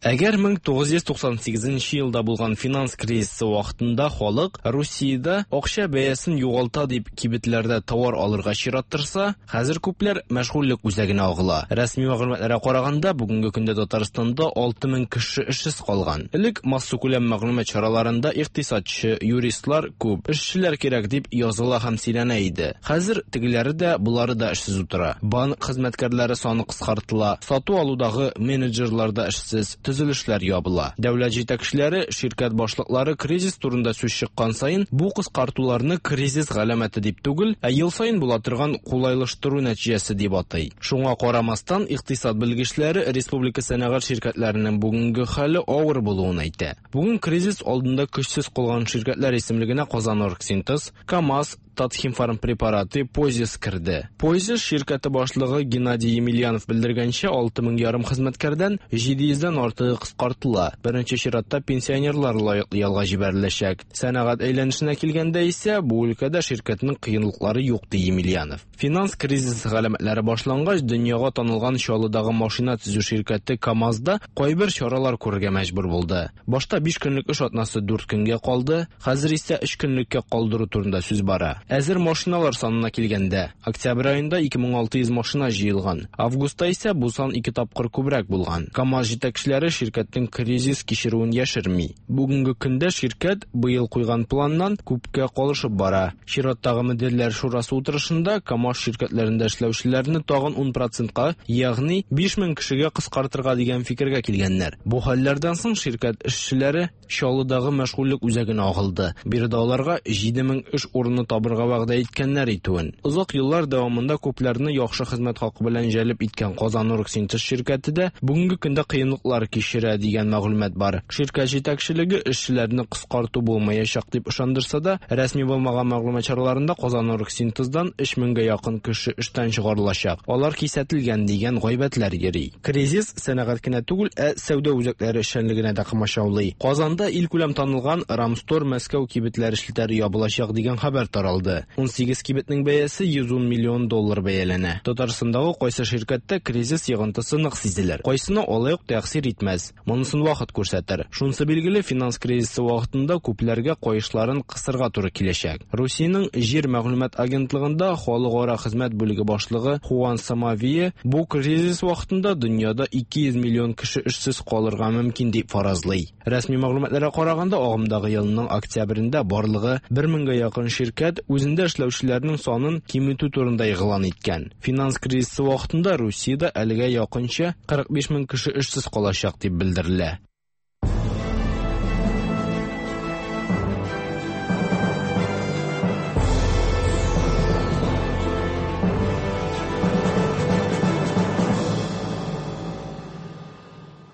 Әгәр 1998 елда булган финанс кризисы вакытында халык Русиядә акча бәясен югалта дип кибетләрдә товар алырга чират торса, хәзер күпләр мәшгульлек үзәгенә агыла. Рәсми мәгълүматларга караганда, бүгенге көндә Татарстанда 6000 кеше эшсез калган. Элек массакүләм мәгълүмат чараларында икътисадчы, юристлар күп, эшчеләр кирәк дип языла һәм сөйләнә иде. Хәзер тегеләре дә, болары да эшсез утыра. Банк хезмәткәрләре саны кыскартыла, сату-алудагы менеджерлар да эшсез, төзелешләр ябыла. Дәүләт җитәкчеләре, ширкәт башлыклары кризис турында сүз чыккан саен бу кыскартуларны кризис галәмәте дип түгел, ә ел саен була торган кулайлаштыру нәтиҗәсе дип атый. Шуңа карамастан, икътисад белгечләре республика сәнәгать ширкәтләренең бүгенге хәле авыр булуын әйтә. Бүген кризис алдында көчсез калган ширкәтләр исемлегенә Казаноргсинтез, КАМАЗ, Татхимфармпрепараты, Позис керде. Позис ширкәте башлыгы Геннадий Емельянов белдергәнчә, 6500 хезмәткәрдән 700дән артыгы кыскартыла. Беренче чиратта пенсионерлар лаеклы ялга җибәреләчәк. Сәнәгать әйләнешенә килгәндә исә, бу өлкәдә ширкәтнең кыенлыклары юк, ди Емельянов. Финанс кризисы галәмәтләре башлангач, дөньяга танылган Чаллыдагы машина төзү ширкәте КАМАЗда кайбер чаралар күрергә мәҗбүр булды. Башта 5 көнлек эш атнасы 4 көнгә калды, хәзер исә 3 көнлеккә калдыру турында сүз бара. Әзер машиналар санына килгәндә, октябрь аенда 2600 машина җыелган. Августта исә бу сан 2 тапкыр күбрәк булган. КАМАЗ җитәкчеләре ширкәтнең кризис кичерүен яшерми. Бүгенге көндә ширкәт быел куйган планнан күпкә калышып бара. Чираттагы мөдирләр шурасы утырышында КАМАЗ ширкәтләрендә эшләүчеләрне тагын 10%-ка, ягъни 5000 кешегә кыскартырга дигән фикергә килгәннәр. Бу хәлләрдән соң ширкәт эшчеләре Чаллыдагы мәшгульлек үзәгенә агылды. Биредә аларга 7000 эш урыны табырга вәгъдә иткәннәр итүен. Озак еллар дәвамында күпләрне яхшы хезмәт хакы белән җәлеп иткән Казаноргсинтез ширкәте дә бүгенге көндә кыенлыклар кичерә дигән мәгълүмат бар. Ширкәт җитәкчелеге эшчеләрне кыскарту булмаячак дип ышандырса да, рәсми булмаган мәгълүмат чараларында Казаноргсинтездан 3000гә якын кеше эштән чыгарылачак. Алар кисәтелгән дигән гайбәтләр йөри. Кризис сәнәгать кенә түгел, ә сәүдә үзәкләре эшчәнлегенә дә комачаулый. Казанда илкүләм танылган Рамстор Мәскәү кибетләре челтәре ябылачак дигән хәбәр таралды. алды. 18 кибетнең бәясе 110 миллион доллар бәяләнә. Татарстандагы кайсы ширкәттә кризис йогынтысы нык сизелер, кайсына алай ук тәэсир итмәс. Монысын вакыт күрсәтер. Шунысы билгеле, финанс кризисы вакытында күпләргә каешларын кысырга туры киләчәк. Русиянең Җир мәгълүмат агентлыгында халыкара хезмәт бүлеге башлыгы Хуан Самавия бу кризис вакытында дөньяда 200 миллион кеше эшсез калырга мөмкин дип фаразлый. Рәсми мәгълүматларга караганда, агымдагы елның октябрендә барлыгы 1000гә якын ширкәт үзендә эшләүчеләрнең санын киметү турында игълан иткән. Финанс кризисы вакытында Русиядә әлегә якынча 45 мең кеше эшсез калачак дип белдерелә.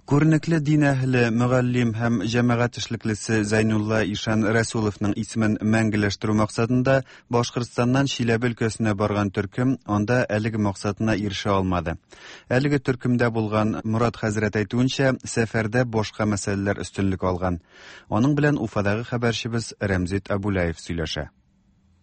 Күренекле дин әһеле, мөгаллим һәм җәмәгать эшлеклесе Зәйнулла Ишан Рәсуловның исемен мәңгеләштерү максатында Башкортстаннан Чиләбе өлкәсенә барган төркем анда әлеге максатына ирешә алмады. Әлеге төркемдә булган Морат хәзрәт әйтүенчә, сәфәрдә башка мәсьәләләр өстенлек алган. Аның белән Уфадагы хәбәрчебез Рәмзит Абулаев сөйләшә.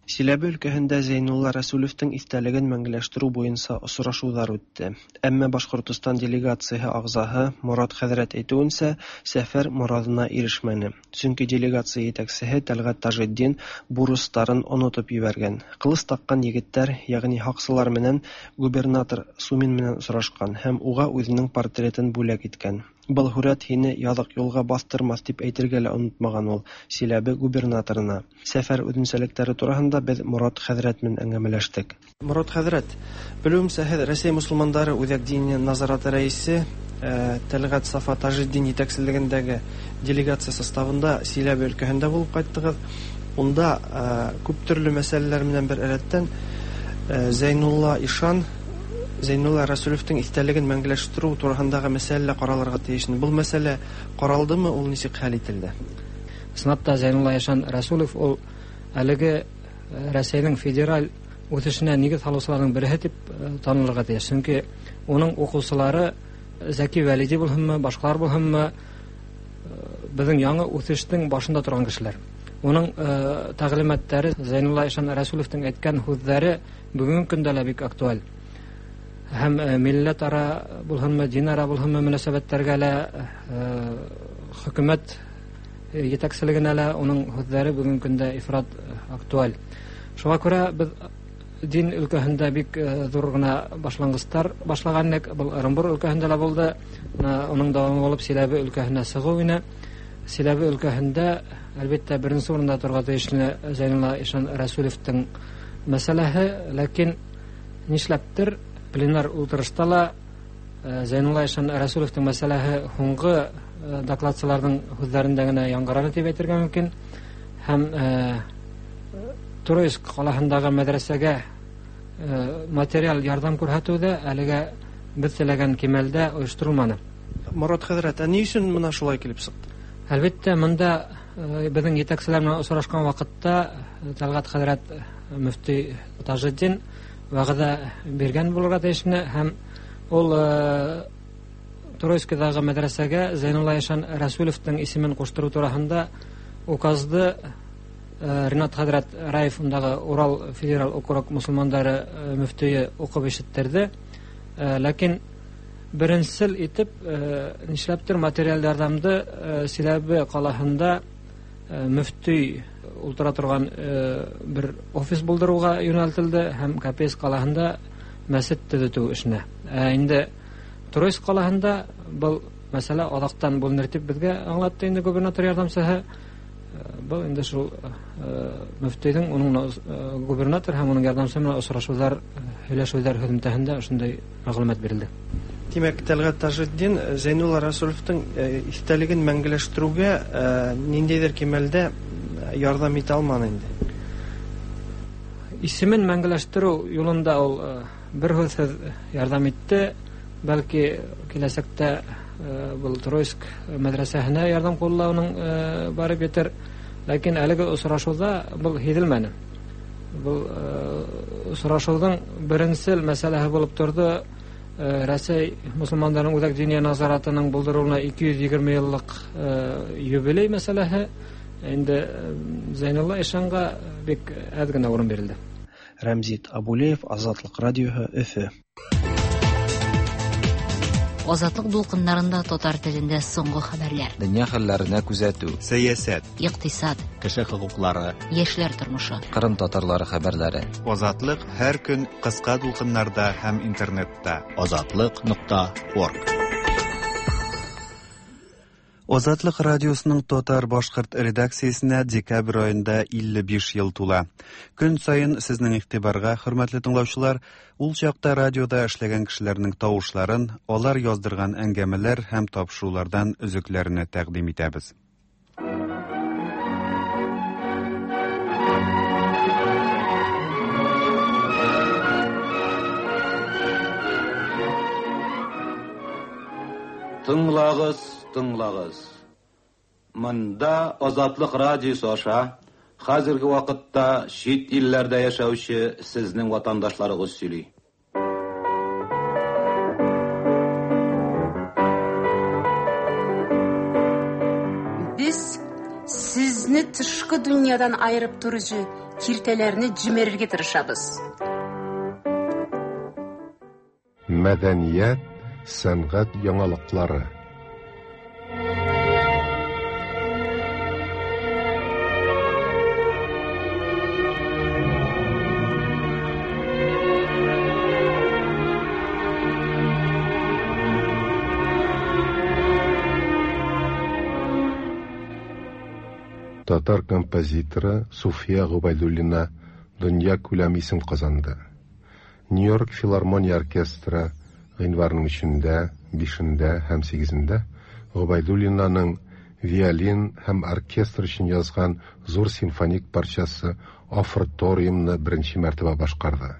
Чиләбе өлкәһендә Зәйнулла Рәсүлевтең истәлеген мәңгеләштерү буенча очрашулар үтте. Әмма Башкортостан делегацияһе агъзаһы Морат хәҙрәт әйтеүенсә, сәфәр морадына ирешмәне. Сөнки делегация етәксеһе Тәлгать Таҗетдин бурыстарын онотоп ебәргән. Ҡылыс таҡҡан егеттәр, ягъни һаҡсылар менән губернатор Сумин менән осрашҡан һәм уға үҙенең портретын бүләк иткән. Был һүрәт һине яҙыҡ юлға баҫтырмаҫ тип әйтергә лә онотмаған ул Силәбе губернаторына. Сәфәр үҙенсәлектәре тураһында беҙ Морат хәҙрәт менән әңгәмәләштек. Морат хәҙрәт, белеүемсә, һеҙ Рәсәй мосолмандары Үҙәк диния назараты рәйесе Тәлғәт Сафа Тажетдин етәкселегендәге делегация составында Силәбе өлкәһендә булып ҡайттығыҙ. Унда күп төрлө мәсьәләләр менән бер рәттән Зәйнулла Ишан, Зәйнулла Рәсүлевтең иҫтәлеген мәңгеләштерү тураһындағы мәсьәлә ҡаралырға тейеш. Был мәсьәлә ҡаралдымы, ул нисек хәл ителде? Ысынлап та Зәйнулла Ишан Рәсүлев ул әлеге Рәсәйнең федераль үҫешенә нигеҙ һалыусыларҙың береһе тип танылырға тейеш. Сөнки уның уҡыусылары Зәки Вәлиди булһынмы, башҡалар булһынмы, беҙҙең яңы үҫештең башында торған кешеләр. Уның тәғлимәттәре, Зәйнулла Ишан Рәсүлевтең әйткән һүҙҙәре бөгөнгө көндә лә бик актуаль. Һәм милләт ара булһынмы, дин ара булһынмы мөнәсәбәттәргә лә, хөкүмәт етәкселегенә лә уның һүҙҙәре бөгөнгө көндә ифрат актуаль. Шуға күрә беҙ дин өлкәһендә бик ҙур ғына башланғыстар башлаған инек. Был Ырымбур өлкәһендә лә булды. Уның дауамы булып Силәбе өлкәһенә сығыу ине. Силәбе өлкәһендә әлбиттә беренсе урында торға тейешле Зәйнулла Ишан Рәсүлевтең мәсьәләһе, ләкин нишләптер пленар ултырышта ла Зәйнулла Ишан Рәсүлевтең мәсьәләһе һуңғы докладсыларҙың һүҙҙәрендә генә яңғыраны тип әйтергә мөмкин. Һәм Троицк ҡалаһындағы мәҙрәсәгә материал ярҙам күрһәтеү ҙә әлегә беҙ теләгән кимәлдә ойошторолманы. Морат хәҙрәт, ә ни өсөн бына шулай килеп сыҡты? Әлбиттә, бында беҙҙең етәкселәр менән осрашҡан ваҡытта Тәлғәт хәҙрәт мөфти Тажетдин вәғәҙә биргән булырға тейешне, һәм ул Троицкиҙағы мәҙрәсәгә Зәйнулла Ишан Рәсүлевтең исемен ҡуштырыу тураһында указды Ринат хәҙрәт Раев, ундағы Урал федераль округ мосолмандары мөфтөйө уҡып ишеттерҙе. Ләкин беренсел итеп нишләптер материаль ярҙамды Силәбе ҡалаһында мөфтөй ултыра торған бер офис булдырыуға йүнәлтелде һәм Копейск ҡалаһында мәсет төҙөтөү эшенә. Инде Троицк ҡалаһында был мәсьәлә аҙаҡтан бүленер тип беҙгә аңлатты инде губернатор ярҙамсыһы. Был инде шул мөфтөйҙөң уның губернатор һәм уның ярҙамсыһы менән осрашыуҙар, һөйләшеүҙәр һөҙөмтәһендә ошондай мәғлүмәт бирелде. Тимәк, Тәлғәт Тажетдин Зәйнулла Рәсүлевтең иҫтәлеген мәңгеләштереүгә ниндәйҙер кимәлдә ярҙам итә алманы инде. Исемен мәңгеләштереү юлында ул бер һүҙһеҙ ярҙам итте. Бәлки киләсәктә был Троицк мәҙрәсәһенә ярҙам ҡулы уның барып етер. Ләкин әлеге осрашыуҙа был һиҙелмәне. Был осрашыуҙың беренсел мәсьәләһе булып торҙо Рәсәй мосолмандарының Үҙәк диния назаратының булдырыуына 220 йыллыҡ юбилей мәсьәләһе. Инде Зәйнулла Ишанға бик әз генә урын бирелде. Рәмзит Абулеев, Азатлык радиоһы, Өфе. Азатлык дулкыннарында татар телендә соңгы хәбәрләр. Дөнья хәлләренә күзәтү. Сәясәт. Икътисад. Кеше хокуклары. Яшьләр тормышы. Кырым татарлары хәбәрләре. Азатлык һәр көн кыска дулкыннарда һәм интернетта. Азатлык.орг. Азатлык радиосының татар-башкорт редакциясенә декабрь аенда 55 ел тула. Көн саен сезнең игътибарга, хөрмәтле тыңлаучылар, ул чакта радиода эшләгән кешеләрнең тавышларын, алар яздырган әңгәмәләр һәм тапшырулардан өзекләрне тәкъдим итәбез. Тыңлагыз, тыңлагыз. Монда Азатлык радиосы аша хәзерге вакытта чит илләрдә яшәүче сезнең ватандашларыгыз сөйли. Без сезне тышкы дөньядан аерып торучы киртәләрне җимерергә тырышабыз. Мәдәният, сәнгать яңалыклары. Татар композиторы Суфия Гобәйдуллина дөнья күләм исем казанды. Нью-Йорк филармония оркестры гыйнварның 3-ндә, 5-ндә һәм 8-ндә Гобәйдуллинаның виолин һәм оркестр өчен язган зур симфоник парчасы Оферториумны беренче мәртәбә башкарды.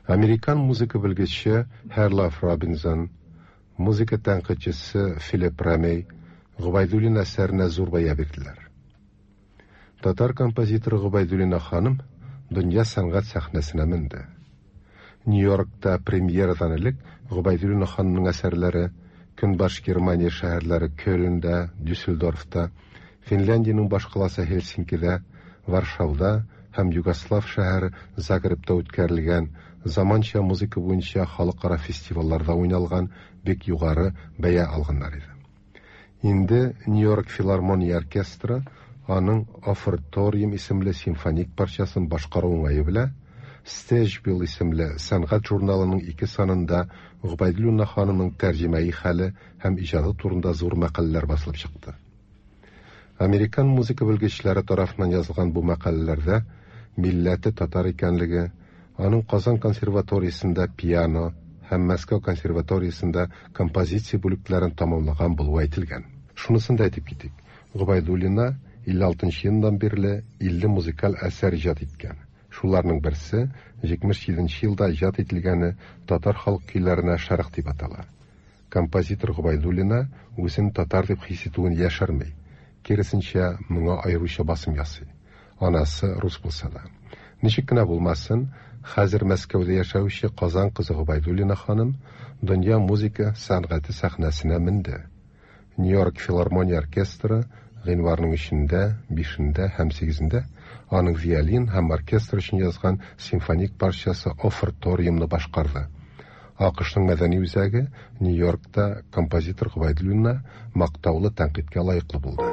Американ музыка белгече Херлаф Робинсон, музыка тәнкыйтьчесе Филипп Рамей Гобәйдуллина әсәренә зур бәя бирделәр. Татар композиторы Гобәйдуллина ханым дөнья сәнгать сәхнәсенә менде. Нью-Йоркта премьерадан элек Гобәйдуллина ханымның әсәрләре Көнбаш Германия шәһәрләре Кёльнда, Дюссельдорфта, Финляндиянең башкаласы Хельсинкида, Варшауда һәм Югослав шәһәре Загребта үткәрелгән заманча музыка буенча халыкара фестивальләрдә уйналган бик югары бәя алганнар иде. Инде Нью-Йорк филармония оркестры аның Оферториум исемле симфоник парчасын башкару уңае белән Стежбил исемле сәнгать журналының ике санында Гобәйдуллина ханымның тәрҗемәи хәле һәм иҗаты турында зур мәкаләләр басылып чыкты. Американ музыка белгечләре тарафыннан язылган бу мәкаләләрдә милләте татар икәнлеге, аның Казан консерваториясендә пиано һәм Мәскәү консерваториясендә композиция бүлекләрен тәмамлаган булуы әйтелгән. Шунысын да әйтеп китик, Гобәйдуллина 56 елдан бирле 50 музыкаль әсәр иҗат иткән. Шуларның берсе 77 елда иҗат ителгәне татар халык көйләренә шәрык дип атала. Композитор Гобәйдуллина үзен татар дип хис итүен яшерми. Киресенчә, моңа аеруча басым ясый. Анасы рус булса да. Ничек кенә булмасын, хәзер Мәскәүдә яшәүче Казан кызы Гобәйдуллина ханым дөнья музыка сәнгате сәхнәсенә менде. Нью-Йорк филармония оркестры гыйнварның 3-ндә, 5-ндә һәм 8-ндә аның виолин һәм оркестр өчен язган симфоник парчасы Оферториумны башкарды. АКШның мәдәни үзәге Нью-Йоркта композитор Гобәйдуллина мактаулы тәнкыйтькә лаеклы булды.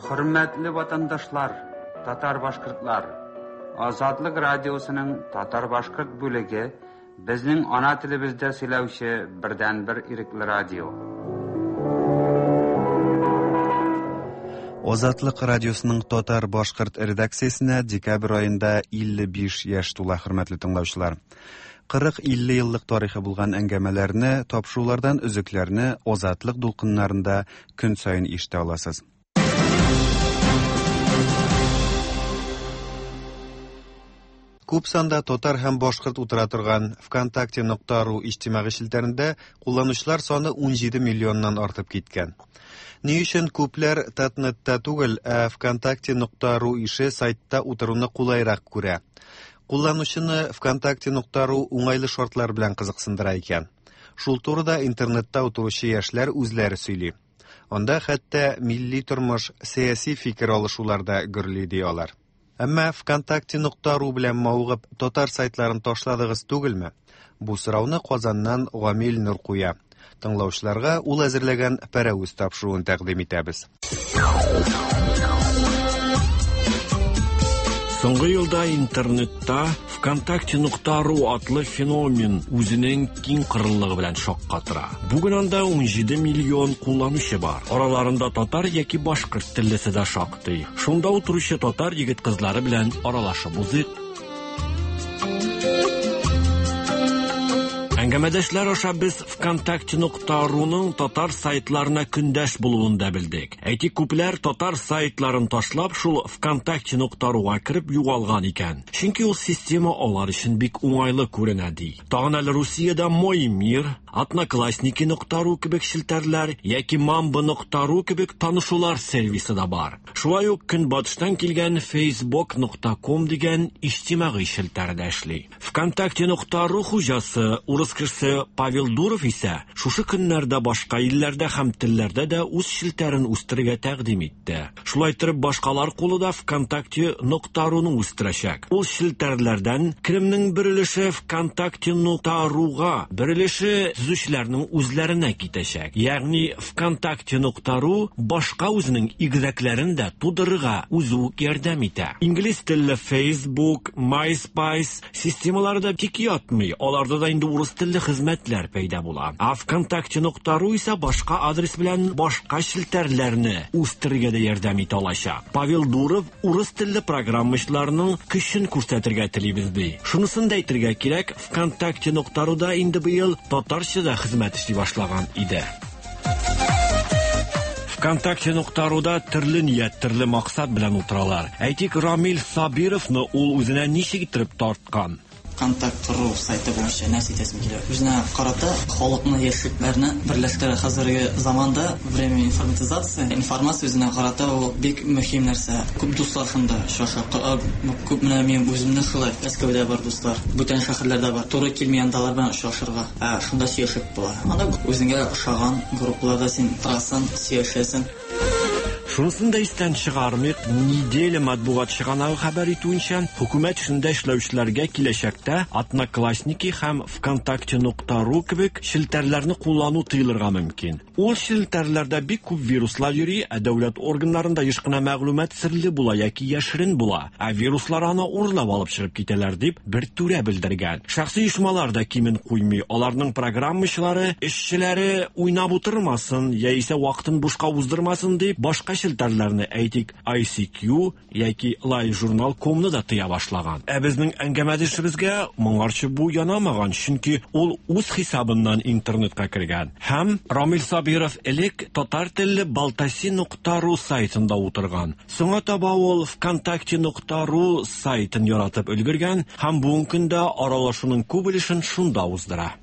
Хөрмәтле ватандашлар, татар-башкортлар, Азатлык радиосының татар-башкорт бүлеге безнең ана телебездә сөйләүче бердәнбер ирекле радио. Азатлык радиосының татар-башкорт редакциясенә декабрь аенда 55 яшь тула, хөрмәтле тыңлаучылар. 40-50 еллык тарихы булган әңгәмәләрне, тапшырулардан өзекләрне Азатлык дулкыннарында көн саен ишетә аласыз. Күп санда татар һәм башкорт утыра торган ВКонтакте.ру иҗтимагый челтәрендә кулланучылар саны 17 миллионнан артып киткән. Ни өчен күпләр Татнетта түгел, ә ВКонтакте.ру ише сайтта утыруны кулайрак күрә? Кулланучыны ВКонтакте.ру уңайлы шартлар белән кызыксындыра икән. Шул турыда интернетта утыручы яшьләр үзләре сөйли. Анда хәтта милли тормыш, сәяси фикер алышулар да гөрли ди алар. Әмма ВКонтакте.ру белән мавыгып татар сайтларын ташладыгыз түгелме? Бу сорауны Казаннан Гамил Нур куя. Тыңлаучыларга ул әзерләгән пәрәвез тапшыруын тәкъдим итәбез. Соңгы елда интернетта ВКонтакте.ру атлы феномен үзенең киң кырыллыгы белән шаккатыра. Бүген анда 17 миллион кулланучы бар. Араларында татар яки башкорт теллесе дә шактый. Шунда утыручы татар егет-кызлары белән аралашып узыйк. Әңгәмәдәшләр аша без ВКонтакте.руның татар сайтларына көндәш булуын да белдек. Әйтик, күпләр татар сайтларын ташлап, шул ВКонтакте.руга кереп югалган икән. Чөнки ул система алар өчен бик уңайлы күренә ди. Тагын әле Русиядә Мой мир, Одноклассники.ру кебек челтәрләр яки Мамба.ру кебек танышулар сервисы да бар. Шулай ук көнбатыштан килгән facebook.com дигән иҗтимагый челтәр дә эшли. ВКонтакте.ру хуҗасы урыс кешесе Павел Дуров исә шушы көннәрдә башка илләрдә һәм телләрдә дә үз челтәрен үстерергә тәкъдим итте. Шулай итеп башкалар кулы да ВКонтакте.руны үстерәчәк. Ул челтәрләрдән керемнең бер өлеше ВКонтакте.руга, бер өлеше төзүчеләрнең үзләренә китәчәк. Ягъни ВКонтакте.ру башка үзенең игезәкләрен дә тудырырга үзе үк ярдәм итә. Инглиз телле Facebook, MySpace системалары да тик ятмый. Аларда да инде урыс телле хезмәтләр пәйда була. Ә ВКонтакте.ру исә башка адрес белән башка челтәрләрне үстерергә дә ярдәм итә алачак. Павел Дуров урыс телле программачыларның көчен күрсәтергә телибез ди. Шунысын да әйтергә кирәк, ВКонтакте.руда инде быел татарча да хезмәт эшли башлаган иде. ВКонтакте.руда төрле ният, төрле максат белән утыралар. Әйтик, Рамил Сабировны ул үзенә ничек иттереп тарткан? Контакт.ру сайты буенча нәрсә әйтәсем килә. Үзенә карата халыкны, яшьлекләрне берләштерә. Хәзерге заманда время информатизация, информация үзенә карата ул бик мөһим нәрсә. Күп дуслар шунда очраша. Күп менә мин үземне шулай Мәскәүдә бар дуслар, бүтән шәһәрләрдә бар. Туры килми анда алар белән очрашырга. Ә шунда сөйләшеп була. Анда үзеңә ошаган группаларда син торасың, сөйләшәсең. Шунысын да истән чыгармыйк, Неделя матбугат чыганагы хәбәр итүенчә, хөкүмәт эшендә эшләүчеләргә киләчәктә Одноклассники һәм ВКонтакте.ру кебек челтәрләрне куллану тыелырга мөмкин. Ул челтәрләрдә бик күп вируслар йөри, ә дәүләт органнарында еш кына мәгълүмат серле була яки яшерен була, ә вируслар аны урлап алып чыгып китәләр дип бер түрә белдергән. Шәхси оешмалар да кимен куймый, аларның программачылары, эшчеләре уйнап утырмасын яисә вакытын бушка уздырмасын дип башка челтәрләрне, әйтик, ICQ яки LiveJournal.comны да тыя башлаган. Ә безнең әңгәмәдәшебезгә моңарчы бу янамаган, чөнки ул үз хисабыннан интернетка кергән. Һәм Рамил Сабиров элек татар телле baltasi.ru сайтында утырган. Соңа таба ул ВКонтакте.ру сайтын яратып өлгергән һәм бүгенге көндә аралашуның күп өлешен шунда уздыра.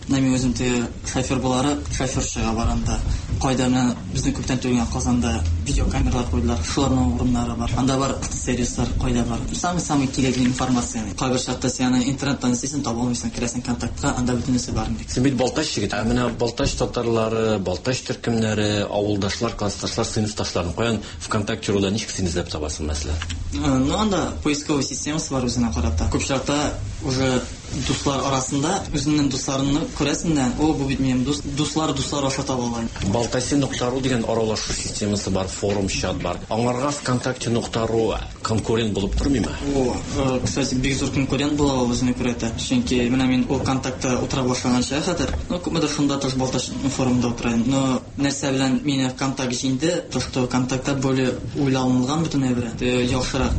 Менә мин үзем теге шофер буларак, шоферчыга барганда, кайда менә безнең күптән түгел генә Казанда видеокамералар куйдылар, шуларның урыннары бар. Анда бар сервислар, кайда бар. Самый-самый кирәкле информация. Кайбер чакта син аны интернеттан эзлисең, таба алмыйсың, керәсең контактка, анда бөтенесе бар инде. Син бит Балтач егете. Ә менә Балтач татарлары, Балтач төркемнәре, авылдашлар, классташлар, сыйныфташларны каян ВКонтакте руда ничек син эзләп табасың, мәсәлән? Ну, анда поисковый системасы бар үзенә карата. Күп чакта уже дуслар арасында үзеңнең дусларыңны күрәсең дә, о, бу бит минем дус, дуслар дуслар аша таба ала. Балтаси.ру дигән аралашу системасы бар, форум, чат бар. Аңарга ВКонтакте.ру конкурент булып тормыймы? О, кстати, бик зур конкурент була ул үзенә күрә дә. Чөнки менә мин ул контактта утыра башлаганча хәзер, ну, күпмедер шунда тоже Балтач форумында утыра идем. Но нәрсә белән мине контакт җиңде, то что контактта более уйланылган бөтен әйбер, яхшырак.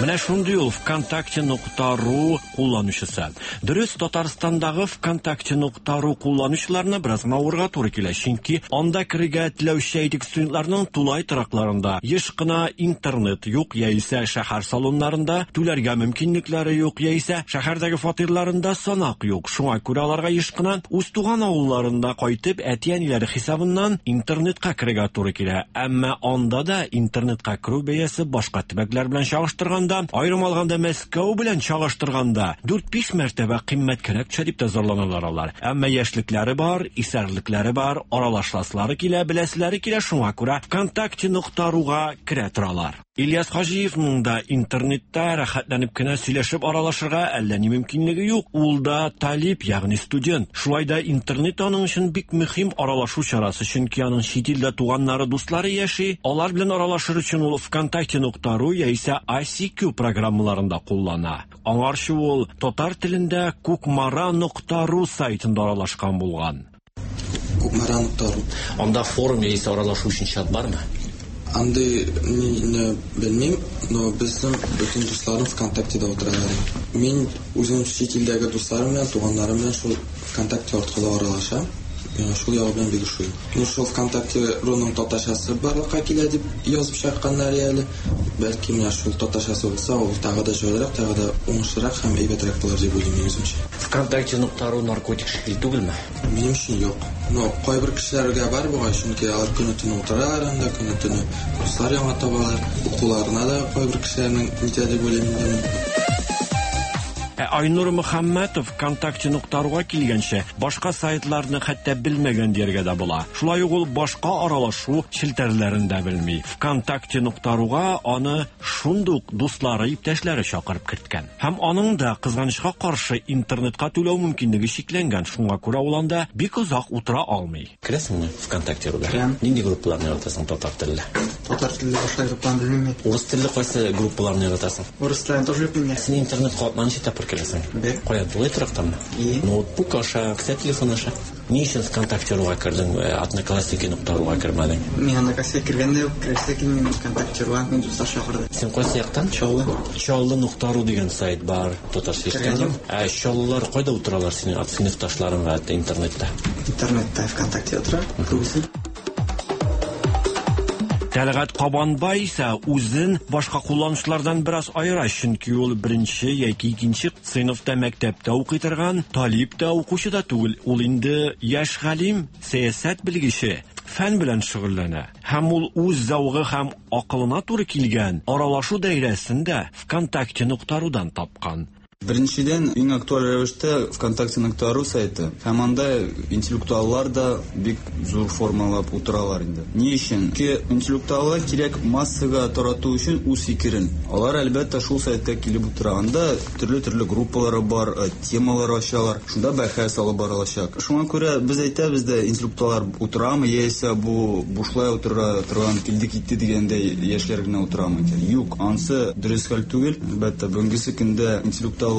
Менә шундый ул ВКонтакте.ру кулланучысы. Дөрес, Татарстандагы ВКонтакте.ру кулланучыларына бераз гына авырга туры килә, чөнки анда керергә теләүче әйтик студентларның тулай торакларында еш кына интернет юк, яисә шәһәр салоннарында түләргә мөмкинлекләре юк, яисә шәһәрдәге фатирларында санак юк. Шуңа күрә аларга еш кына үз туган авылларында кайтып, әти-әниләре хисабыннан интернетка керергә туры килә. Әмма анда да интернетка керү бәясе башка төбәкләр белән чагыштырганда караганда, аерым алганда Мәскәү белән чагыштырганда, 4-5 мәртәбә кыйммәткәрәк төшә дип тә зарланалар алар. Әмма яшьлекләре бар, исәрлекләре бар, аралашасылары килә, беләселәре килә, шуңа күрә ВКонтакте.руга керә торалар. Ильяс Хаҗиевның да интернетта рәхәтләнеп кенә сөйләшеп аралашырга әллә ни мөмкинлеге юк. Ул да талип, ягъни студент. Шулай да интернет аның өчен бик мөһим аралашу чарасы, чөнки аның чит илдә туганнары, дуслары яши. Алар белән аралашыр өчен ул ВКонтакте.ру яисә ICQ программаларын да куллана. Аңарчы ул татар телендә кукмара.ру сайтында аралашкан булган. Кукмара.ру. Анда форум яисә аралашу өчен чат бармы? Андый не белмим, но безнең бөтен дусларым ВКонтактеда утыралар. Мин үзем чит илдәге дусларым белән, туганнарым белән шул ВКонтакте аркылы аралашам. Миңа шул ягы белән бик ошый. Ну, шул ВКонтакте руның татарчасы барлыкка килә дип язып чыкканнар әле. Бәлки менә шул татарчасы булса, ул тагы да җайлырак, тагы да уңышлырак һәм әйбәтрәк булыр дип уйлыйм мин үземчә. ВКонтакте.ру наркотик шикелле түгелме? Минем өчен юк. Но кайбер кешеләргә бар бугай, чөнки алар көне-төне утыралар анда, көне-төне дуслар яңа табалар. Укуларына да кайбер кешеләрнең нитә дип уйлыйм инде мин. Ә Айнур Мөхәммәтов ВКонтакте.руга килгәнче башка сайтларны хәтта белмәгән дияргә дә була. Шулай ук ул башка аралашу челтәрләрен дә белми. ВКонтакте.руга аны шундук дуслары, иптәшләре чакырып керткән. Һәм аның да кызганычка каршы интернетка түләү мөмкинлеге чикләнгән. Шуңа күрә ул анда бик озак утыра алмый. Керәсеңме ВКонтакте.руда? Керәм. Нинди группаларны яратасың татар телле? Татар телле башка группаларны белмим мин. Урыс телле кайсы группаларны яратасың? Урыс телен тоже белмим мин. Син интернетка атна ничә тапкыр керәсең? Бер. Каян, тулай торактанмы? И. Ноутбук аша, кесә телефон аша. Ни өчен ВКонтакте.руга кердең, Одноклассники.руга кермәдең? Мин Одноклассники кергәндә үк керәсе килми ВКонтакте.руга, мин дуслар чакырды. Син кайсы яктан? Чаллы. Чаллы.ру дигән сайт бар, татарча Кергән ишеткән. юк. Ә чаллылар кайда утыралар синең сыйныфташларың гадәттә интернетта? Интернетта ВКонтакте утыра, күбесе. Тәлгать Кабанбай исә үзен башка кулланучылардан бераз аера, чөнки ул беренче яки икенче сыйныфта мәктәптә укый торган талип та, укучы да түгел. Ул инде яшь галим, сәясәт белгече, фән белән шөгыльләнә. Һәм ул үз зәвыгы һәм акылына туры килгән аралашу даирәсен дә ВКонтакте.рудан тапкан. Беренчедән, иң актуаль рәвештә ВКонтакте.ру сайты. Һәм анда интеллектуаллар да бик зур формалап утыралар инде. Ни өчен? Чөнки интеллектуаллар кирәк массага тарату өчен үз фикерен. Алар әлбәттә шул сайтка килеп утыра. Анда төрле-төрле группалары бар, темалар ачалар. Шунда бәхәс алып барылачак. Шуңа күрә без әйтәбез дә, интеллектуаллар утырамы, яисә бу бушлай утыра торган килде китте дигәндәй яшьләр генә утырамы икән? Юк, ансы дөрес хәл түгел. Әлбәттә, бүгенге көндә интеллектуалларга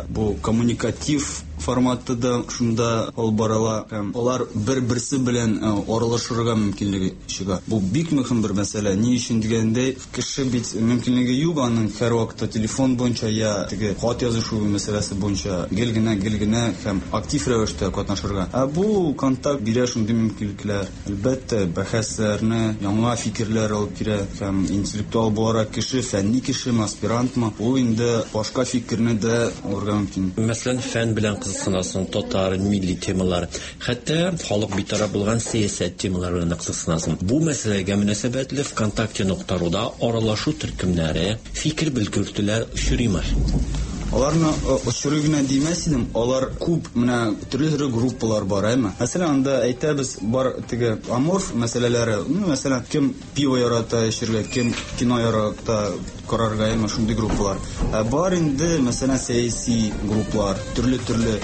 бу коммуникатив форматта да шунда алып барыла һәм алар бер-берсе белән аралашырга мөмкинлеге чыга. Бу бик мөһим бер мәсьәлә. Ни өчен дигәндәй, кеше бит мөмкинлеге юк аның һәрвакытта телефон буенча я теге хат язышу мәсьәләсе буенча гел генә, гел генә һәм актив рәвештә катнашырга. Ә бу контакт бирә шундый мөмкинлекләр. Әлбәттә, бәхәсләрне, яңа фикерләр алып килә һәм интеллектуал буларак кеше, фәнни кешеме, аспирантмы, ул инде башка фикерне дә алырга мөмкин. Мәсәлән, фән белән кызыксынасың, татар, милли темалар, хәтта халык битараф булган сәясәт темалары белән дә кызыксынасың. Бу мәсьәләгә мөнәсәбәтле ВКонтакте.руда аралашу төркемнәре, фикер белгертүләр очрыймы? Аларны очрый гына димәс идем, алар күп, менә төрле-төрле группалар бар, әйме? Мәсәлән, анда әйтәбез, бар теге аморф мәсьәләләре, мәсәлән, кем пиво ярата эчәргә, кем кино ярата карарга, әйме, шундый группалар. Ә бар инде, мәсәлән, сәяси группалар, төрле-төрле.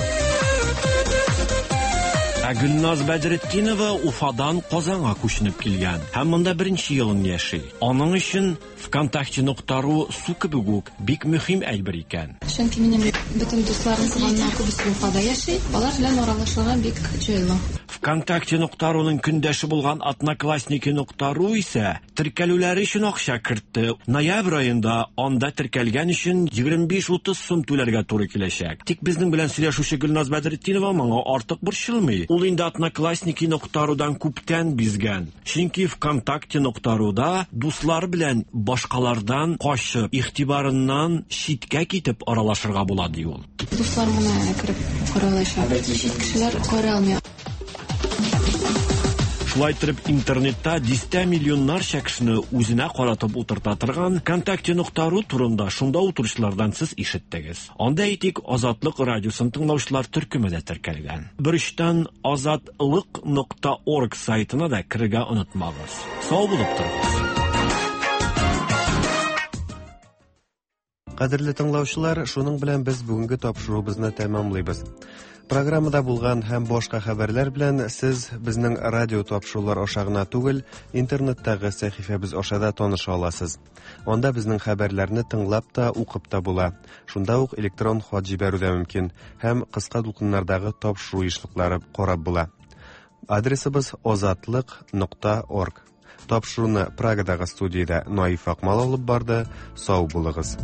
Ә Гөлназ Бәдретдинова Уфадан Казанга күченеп килгән һәм монда беренче елын яши. Аның өчен ВКонтакте.ру су кебек үк бик мөһим әйбер икән. Чөнки минем бөтен дусларым, туганнар күбесе Уфада яши, алар белән аралашырга бик җайлы. ВКонтакте.руның көндәше булган Одноклассники.ру исә теркәлүләре өчен акча кертте. Ноябрь аенда анда теркәлгән өчен 25-30 сум түләргә туры киләчәк. Тик безнең белән сөйләшүче Гөлназ Бәдретдинова моңа артык борчылмый. Ул инде Одноклассники.рудан күптән бизгән. Чөнки ВКонтакте.руда дуслар белән башкалардан качып, игътибарыннан читкә китеп аралашырга була, ди ул. Дуслар моны кереп карый алачак. Чит кешеләр карый алмый. Шулай итеп, интернетта дистә миллионнарча кешене үзенә каратып утырта торган ВКонтакте.ру турында шунда утыручылардан сез ишеттегез. Анда, әйтик, Азатлык радиосын тыңлаучылар төркеме дә теркәлгән. Берочтан azatliq.org сайтына да керергә онытмагыз. Сау булып торыгыз. Кадерле тыңлаучылар, шуның белән без бүгенге тапшыруыбызны тәмамлыйбыз. Программада булган һәм башка хәбәрләр белән сез безнең радио тапшырулар аша гына түгел, интернеттагы сәхифәбез аша да таныша аласыз. Анда безнең хәбәрләрне тыңлап та, укып та була. Шунда ук электрон хат җибәрү дә мөмкин һәм кыска дулкыннардагы тапшыру ешлыклары карап була. Адресыбыз озатлык.орг. Тапшыруны Прагадагы студиядә Наиф Акмал алып барды. Сау булыгыз.